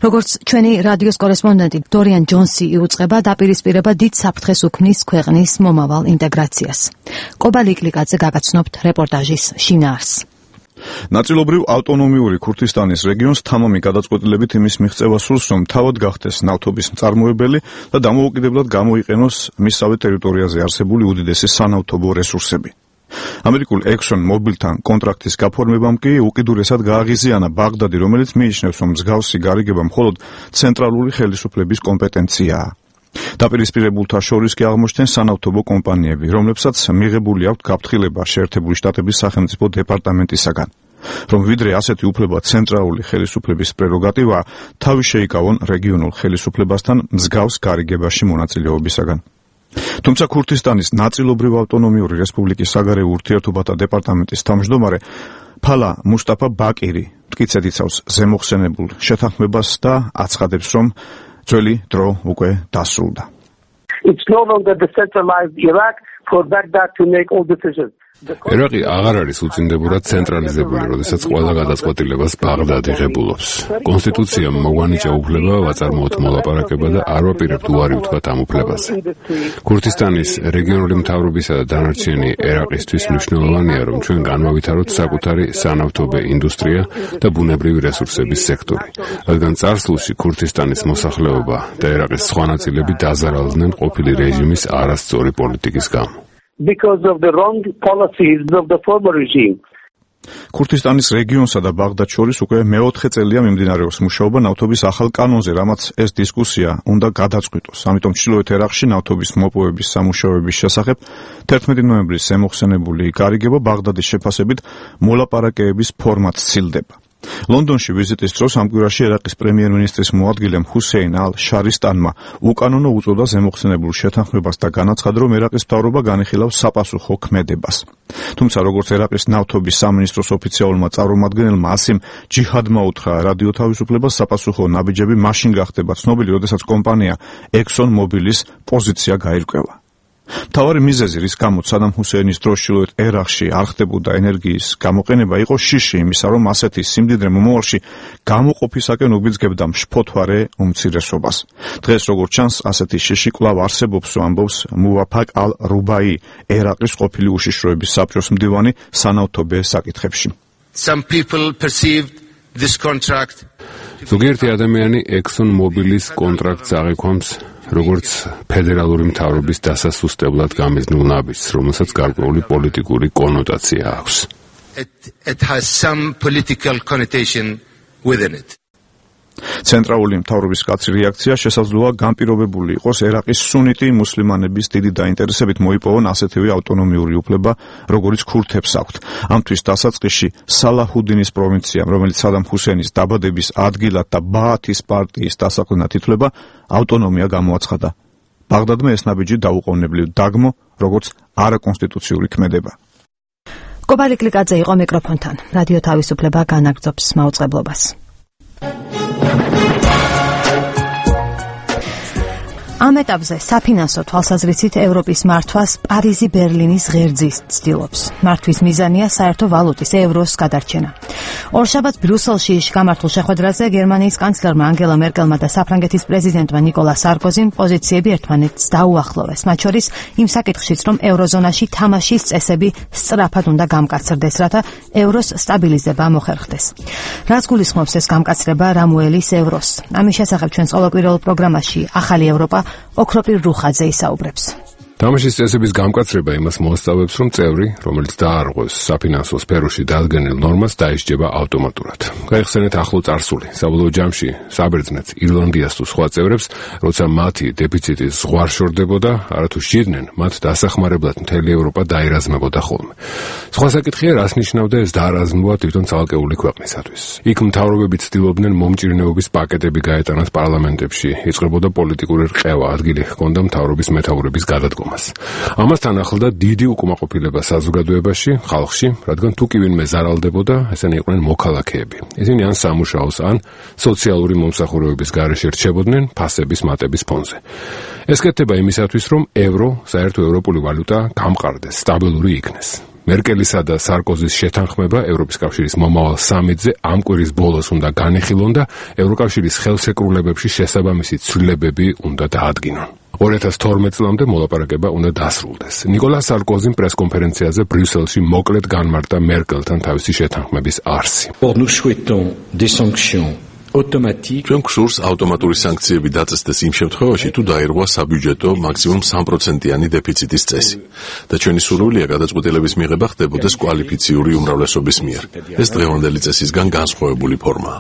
როგორც ჩვენი რადიოს კორესპონდენტი დორიან ჯონსი იუწყება, დაპირისპირება დიდ საფრთხეს უქმნის ქვეყნის მომავალ ინტეგრაციას. კობა ლიკლიკაძე გაგაცნობთ რეპორტაჟის შინაარსს. ნაწილობრივ ავტონომიური ქურთისტანის რეგიონს თამამი გადაწყვეტილებით იმის მიღწევა სურს, რომ თავად გახდეს ნავთობის მწარმოებელი და დამოუკიდებლად გამოიყენოს მისსავე ტერიტორიაზე არსებული უდიდესი სანავთობო რესურსები. ამერიკულ ExxonMobilთან კონტრაქტის გაფორმებამ კი უკიდურესად გააღიზიანა ბაღდადი, რომელიც მიიჩნევს, რომ მსგავსი გარიგება მხოლოდ ცენტრალური ხელისუფლების კომპეტენციაა. დაპირისპირებულთა შორის კი აღმოჩნდნენ სანავთობო კომპანიები, რომლებსაც მიღებული აქვთ გაფრთხილება შეერთებული შტატების სახელმწიფო დეპარტამენტისაგან. რომ ვიდრე ასეთი უფლება ცენტრალური ხელისუფლების პრეროგატივაა, თავი შეიკავონ რეგიონულ ხელისუფლებასთან მსგავს გარიგებაში მონაწილეობისაგან. თუმცა ქურთისტანის ნაწილობრივ ავტონომიური რესპუბლიკის საგარეო ურთიერთობათა დეპარტამენტის თავმჯდომარე ფალა მუსტაფა ბაკირი მტკიცედ იცავს ზემოხსენებულ შეთანხმებას და აცხადებს, რომ ძველი დრო უკვე დასრულდა. It's no longer the centralized Iraq for Baghdad to make all decisions. ერაყი აღარ არის უწინდებურად ცენტრალიზებული, როდესაც ყველა გადაწყვეტილებას ბაღდადი ღებულობს. კონსტიტუციამ მოგვანიჭა უფლება ვაწარმოოთ მოლაპარაკება და არ ვაპირებთ უარი ვთქვათ ამ უფლებაზე. ქურთისტანის რეგიონული მთავრობისა და დანარჩენი ერაყისთვის მნიშვნელოვანია, რომ ჩვენ განვავითაროთ საკუთარი სანავთობო ინდუსტრია და ბუნებრივი რესურსების სექტორი, რადგან წარსულში ქურთისტანის მოსახლეობა და ერაყის სხვა ნაწილები დაზარალდნენ ყოფილი რეჟიმის არასწორი პოლიტიკის გამო. Because of the wrong policies of the former regime. ქურთისტანის რეგიონსა და ბაღდადს შორის უკვე მეოთხე წელია მიმდინარეობს მუშაობა ნავთობის ახალ კანონზე, რამაც ეს დისკუსია უნდა გადაწყვიტოს. ამიტომ ჩრდილოეთ ერაყში ნავთობის მოპოვების სამუშაოების შესახებ 11 ნოემბრის ზემოხსენებული გარიგება ბაღდადის შეფასებით მოლაპარაკებების ფორმატს ცილდება. ლონდონში ვიზიტის დროს ამ კვირაში ერაყის პრემიერ-მინისტრის მოადგილემ ჰუსეინ ალ-შარისტანმა უკანონო უწოდა ზემოხსენებულ შეთანხმებას და განაცხადა, რომ ერაყის მთავრობა განიხილავს sapasukho ქმედებას. თუმცა როგორც ერაყის ნავთობის სამინისტროს ოფიციალურმა წარმომადგენელმა ასიმ ჯიჰადმა უთხრა, რადიო თავისუფლებას sapasukho ნაბიჯები მაშინ გახდება ცნობილი, როდესაც კომპანია ExxonMobilis პოზიცია გაირკვევა. მთავარი მიზეზი, რის გამოც სადამ ჰუსეინის დროს ჩრდილოეთ ერაყში არ ხდებოდა ენერგიის გამოყენება, იყო შიში იმისა, რომ ასეთი სიმდიდრე მომავალში გამოყოფისაკენ უბიძგებდა მშფოთვარე უმცირესობას. დღეს როგორც ჩანს, ასეთი შიში კვლავ არსებობს, ამბობს მუვაფაკ ალ-რუბაი, ერაყის ყოფილი უშიშროების საბჭოს მდივანი სანავთობო საკითხებში. Some people perceived this contract. ზოგიერთი ადამიანი ExxonMobilis კონტრაქტს აღიქვამს როგორც ფედერალური მთავრობის დასასუსტებლად გამიზნულ ნაბიჯს, რომელსაც გარკვეული პოლიტიკური კონოტაცია აქვს. It has some political connotation within it. ცენტრალური მთავრობის კაცრი რეაქცია შესაძლოა განპირობებული იყოს ერაყის სუნიტი მუსლიმანების დიდი დაინტერესებით მოიპოვონ ასეთივე ავტონომიური უფლება, როგორც ქურთებს აქვთ. ამთვის დასაწყისში სალაჰუდინის პროვინციამ, რომელიც სადამ ჰუსეინის დაბადების ადგილად და ბაათის პარტიის დასაყრდნად ითვლება, ავტონომია გამოაცხადა. ბაღდადმა ეს ნაბიჯი დაუყოვნებლივ დაგმო, როგორც არაკონსტიტუციური ქმედება. გობალი კლიკაძე იყო მიკროფონთან. რადიო თავისუფლება განაგრძობს მაუწყებლობას. ამ ეტაპზე საფინანსო თვალსაზრისით ევროპის მართვას პარიზი ბერლინის ღერძის ცდილობს. მართვის მიზანია საერთო ვალუტის ევროს გადარჩენა. ორშაბათს ბრიუსელში გამართულ შეხვედრაზე გერმანიის კანცლერმა ანგელა მერკელმა და საფრანგეთის პრეზიდენტმა ნიკოლა სარკოზიმ პოზიციები ერთმანეთს დაუახლოვეს. მათ შორის იმ საკითხშიც, რომ ევროზონაში თამაშის წესები სწრაფად უნდა გამკაცრდეს, რათა ევროს სტაბილიზება მოხერხდეს. რაც გულისხმობს ეს გამკაცრება რამუელის ევროს? ამის შესახებ ჩვენს ყოველკვირეულ პროგრამაში ახალი ევროპა ოქროპირ რუხაძე ისაუბრებს. თამაშის წესების გამკაცრება იმას მოასწავებს, რომ წევრი, რომელიც დაარღვევს საფინანსო სფეროში დადგენილ ნორმას, დაისჯება ავტომატურად. გაიხსენეთ ახლო წარსული, საბოლოო ჯამში საბერძნეთს, ირლანდიას თუ სხვა წევრებს, როცა მათი დეფიციტი ზღვარ შორდებოდა, არათუ სჭირდნენ, მათ დასახმარებლად მთელი ევროპა დაერაზმებოდა ხოლმე. სხვა საკითხია, რას ნიშნავდა ეს დაარაზმვა თვითონ ცალკეული ქვეყნისათვის. იქ მთავრობები ცდილობდნენ მომჭირნეობის პაკეტები გაეტანათ პარლამენტებში, იწყებოდა პოლიტიკური რყევა, ადგილი ჰქონდა მთავრობის მეთაურების გადადგომა. ამასთან ახლდა დიდი უკმაყოფილება საზოგადოებაში, ხალხში, რადგან თუ კი ვინმე ზარალდებოდა, ესენი იყვნენ მოქალაქეები. ისინი ან სამუშაოს, ან სოციალური მომსახურებების გარეშე რჩებოდნენ ფასების მატების ფონზე. ეს კეთდება იმისათვის, რომ ევრო, საერთო ევროპული ვალუტა გამყარდეს, სტაბილური იქნეს. მერკელისა და სარკოზის შეთანხმება ევროპის კავშირის მომავალ სამიტზე ამ კვირის ბოლოს უნდა განიხილონ და ევროკავშირის ხელშეკრულებებში შესაბამისი ცვლილებები უნდა დაადგინონ. 2012 წლამდე მოლაპარაკება უნდა დასრულდეს. ნიკოლა სარკოზიმ პრესკონფერენციაზე ბრიუსელში მოკლედ განმარტა მერკელთან თავისი შეთანხმების არსი. ჩვენ გვსურს ავტომატური სანქციები დაწესდეს იმ შემთხვევაში, თუ დაირღვა საბიუჯეტო მაქსიმუმ 3%-იანი დეფიციტის წესი. და ჩვენი სურვილია გადაწყვეტილების მიღება ხდებოდეს კვალიფიციური უმრავლესობის მიერ. ეს დღევანდელი წესისგან განსხვავებული ფორმაა.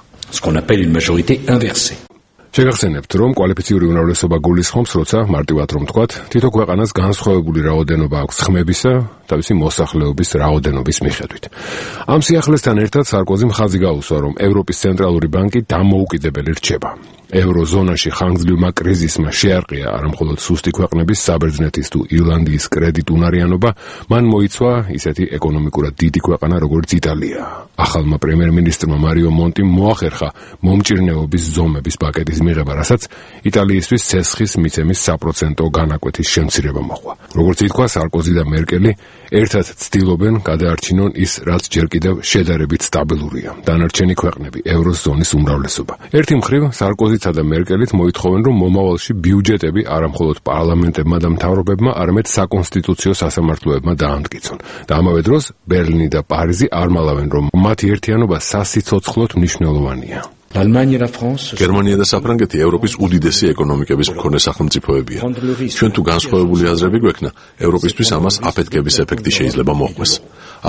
შეგახსენებთ, რომ კვალიფიციური უმრავლესობა გულისხმობს, როცა მარტივად რომ ვთქვათ, თითო ქვეყანას განსხვავებული რაოდენობა აქვს ხმებისა, თავისი მოსახლეობის რაოდენობის მიხედვით. ამ სიახლესთან ერთად სარკოზიმ ხაზი გაუსვა, რომ ევროპის ცენტრალური ბანკი დამოუკიდებელი რჩება. ევროზონაში ხანგრძლივმა კრიზისმა შეარყია არამხოლოდ სუსტი ქვეყნების, საბერძნეთის თუ ირლანდიის კრედიტუნარიანობა, მან მოიცვა ისეთი ეკონომიკურად დიდი ქვეყანა, როგორც იტალია. ახალმა პრემიერ-მინისტრმა მარიო მონტიმ მოახერხა მომჭირნეობის ზომების პაკეტის მიღება, რასაც იტალიისთვის ცესხის მიცემის საპროცენტო განაკვეთის შემცირება მოჰყვა. როგორც ითქვა, სარკოზი და მერკელი ერთად ცდილობენ გადაარჩინონ ის, რაც ჯერ კიდევ შედარებით სტაბილურია. დანარჩენი ქვეყნები, ევროზონის უმრავლესობა. ერთი მხრივ სარკოზიცა და მერკელით მოითხოვენ, რომ მომავალში ბიუჯეტები არამხოლოდ პარლამენტებმა და მთავრობებმა, არამედ საკონსტიტუციო სასამართლოებმა დაამტკიცონ. და ამავე დროს ბერლინი და პარიზი არ მალავენ, რომ მათი ერთიანობა სასიცოცხლოდ მნიშვნელოვანია. გერმანია და საფრანგეთი ევროპის უდიდესი ეკონომიკების მქონე სახელმწიფოებია. ჩვენ თუ განსხვავებული აზრები გვექნა, ევროპისთვის ამას აფეთქების ეფექტი შეიძლება მოჰყვეს.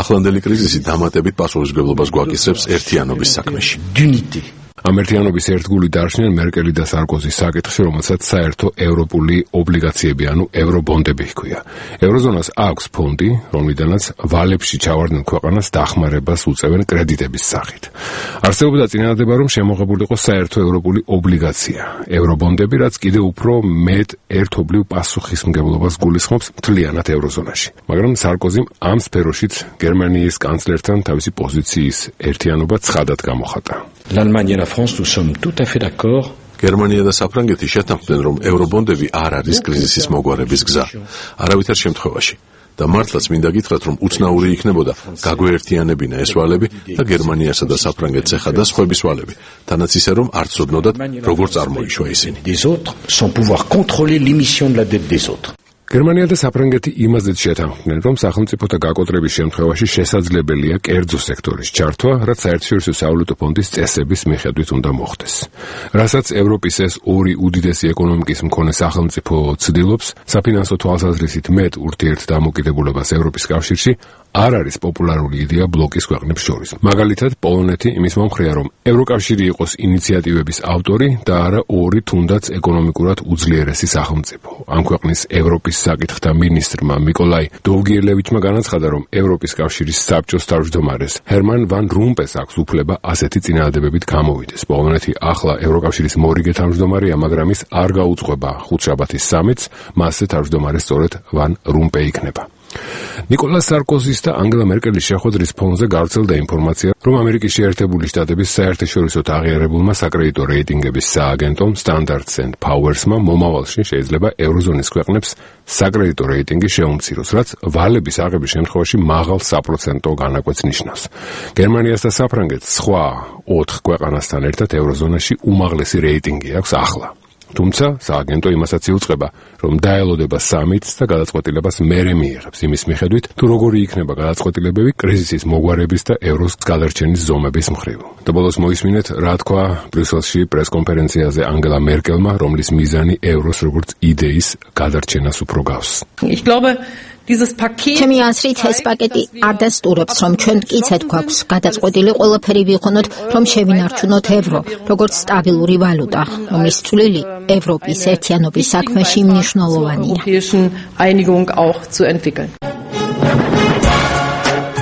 ახლანდელი კრიზისი დამატებით პასუხისმგებლობას გვაკისრებს ერთიანობის საქმეში. ამ ერთიანობის ერთგული დარჩნენ მერკელი და სარკოზის საკითხში, რომელსაც საერთო ევროპული ობლიგაციები, ანუ ევრობონდები ჰქვია. ევროზონას აქვს ფონდი, რომლიდანაც ვალებში ჩავარდნილ ქვეყანას დახმარებას უწევენ კრედიტების სახით. არსებობდა წინადადება, რომ შემოღებულიყო საერთო ევროპული ობლიგაცია, ევრობონდები, რაც კიდევ უფრო მეტ ერთობლივ პასუხისმგებლობას გულისხმობს მთლიანად ევროზონაში. მაგრამ სარკოზიმ ამ სფეროშიც გერმანიის კანცლერთან თავისი პოზიციის ერთიანობა ცხადად გამოხატა. გერმანია და საფრანგეთი შეთანხმდნენ, რომ ევრობონდები არ არის კრიზისის მოგვარების გზა, არავითარ შემთხვევაში. და მართლაც მინდა გითხრათ, რომ უცნაური იქნებოდა გაგვეერთიანებინა ეს ვალები და გერმანიასა და საფრანგეთს ეხადა სხვების ვალები, თანაც ისე რომ არ ცოდნოდათ, როგორ წარმოიშვა ისინი. გერმანია და საფრანგეთი იმაზეც შეთანხმდნენ, რომ სახელმწიფოთა გაკოტრების შემთხვევაში შესაძლებელია კერძო სექტორის ჩართვა, რაც საერთაშორისო სავალუტო ფონდის წესების მიხედვით უნდა მოხდეს. რასაც ევროპის ეს ორი უდიდესი ეკონომიკის მქონე სახელმწიფო ცდილობს, საფინანსო თვალსაზრისით მეტ ურთიერთდამოკიდებულებას ევროპის კავშირში არ არის პოპულარული იდეა ბლოკის ქვეყნებს შორის. მაგალითად, პოლონეთი იმის მომხრეა, რომ ევროკავშირი იყოს ინიციატივების ავტორი და არა ორი თუნდაც ეკონომიკურად უძლიერესი სახელმწიფო. ამ ქვეყნის ევროპის საკითხთა მინისტრმა მიკოლაი დოვგიელევიჩმა განაცხადა, რომ ევროპის კავშირის საბჭოს თავმჯდომარეს ჰერმან ვან რომპეს აქვს უფლება ასეთი წინადადებებით გამოვიდეს. პოლონეთი ახლა ევროკავშირის მორიგე თავმჯდომარეა, მაგრამ ის არ გაუძღვება ხუთშაბათის სამიტს, მასზე თავმჯდომარე სწორედ ვან რომპე იქნება. ნიკოლას სარკოზის და ანგელა მერკელის შეხვედრის ფონზე გავრცელდა ინფორმაცია, რომ ამერიკის შეერთებული შტატების საერთაშორისოდ აღიარებულმა საკრედიტო რეიტინგების სააგენტომ Standard & Poor's-მა მომავალში შეიძლება ევროზონის ქვეყნებს საკრედიტო რეიტინგი შეუმციროს, რაც ვალების აღების შემთხვევაში მაღალ საპროცენტო განაკვეთს ნიშნავს. გერმანიას და საფრანგეთს სხვა 4 ქვეყანასთან ერთად ევროზონაში უმაღლესი რეიტინგი აქვს ახლა. თუმცა სააგენტო იმასაც იუწყება, რომ დაელოდება სამიტს და გადაწყვეტილებას მერე მიიღებს იმის მიხედვით, თუ როგორი იქნება გადაწყვეტილებები კრიზისის მოგვარების და ევროს გადარჩენის ზომების მხრივ. და ბოლოს მოისმინეთ, რა თქვა ბრიუსელში პრესკონფერენციაზე ანგელა მერკელმა, რომლის მიზანი ევროს როგორც იდეის გადარჩენას უფრო გავს. ჩემი აზრით ეს პაკეტი არ დასტურებს, რომ ჩვენ მტკიცედ გვაქვს გადაწყვეტილი ყველაფერი ვიყენოთ, რომ შევინარჩუნოთ ევრო, როგორც სტაბილური ვალუტა, რომლის წვლილი ევროპის ერთიანობის საქმეში მნიშვნელოვანია.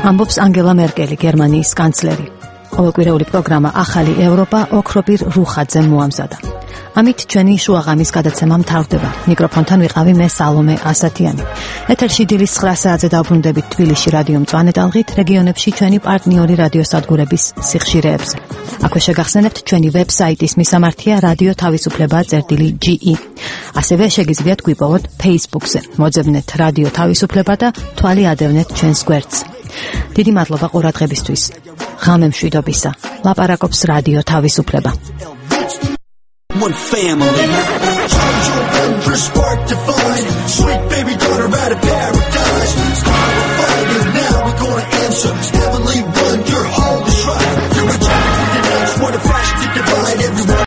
ამბობს ანგელა მერკელი, გერმანიის კანცლერი. ყოველკვირეული პროგრამა ახალი ევროპა ოქროპირ რუხაძემ მოამზადა. ამით ჩვენი შუაღამის გადაცემა მთავრდება. მიკროფონთან ვიყავი მე სალომე ასათიანი. ეთერში დილის 9 საათზე დაბრუნდებით თბილისში რადიო მწვანე ტალღით, რეგიონებში ჩვენი პარტნიორი რადიოსადგურების სიხშირეებზე. აქვე შეგახსენებთ ჩვენი ვებსაიტის მისამართია რადიო თავისუფლება.ge. ასევე შეგიძლიათ გვიპოვოთ Facebook-ზე. მოძებნეთ რადიო თავისუფლება და თვალი ადევნეთ ჩვენს გვერდს. დიდი მადლობა ყურადღებისთვის. ღამე მშვიდობისა. ლაპარაკობს რადიო თავისუფლება. One family. Charge your wondrous spark divine. Sweet baby daughter out of paradise. Star of fire, now we're gonna answer. Heavenly one, your holy shrine. You're a child, what a flash to divide everyone.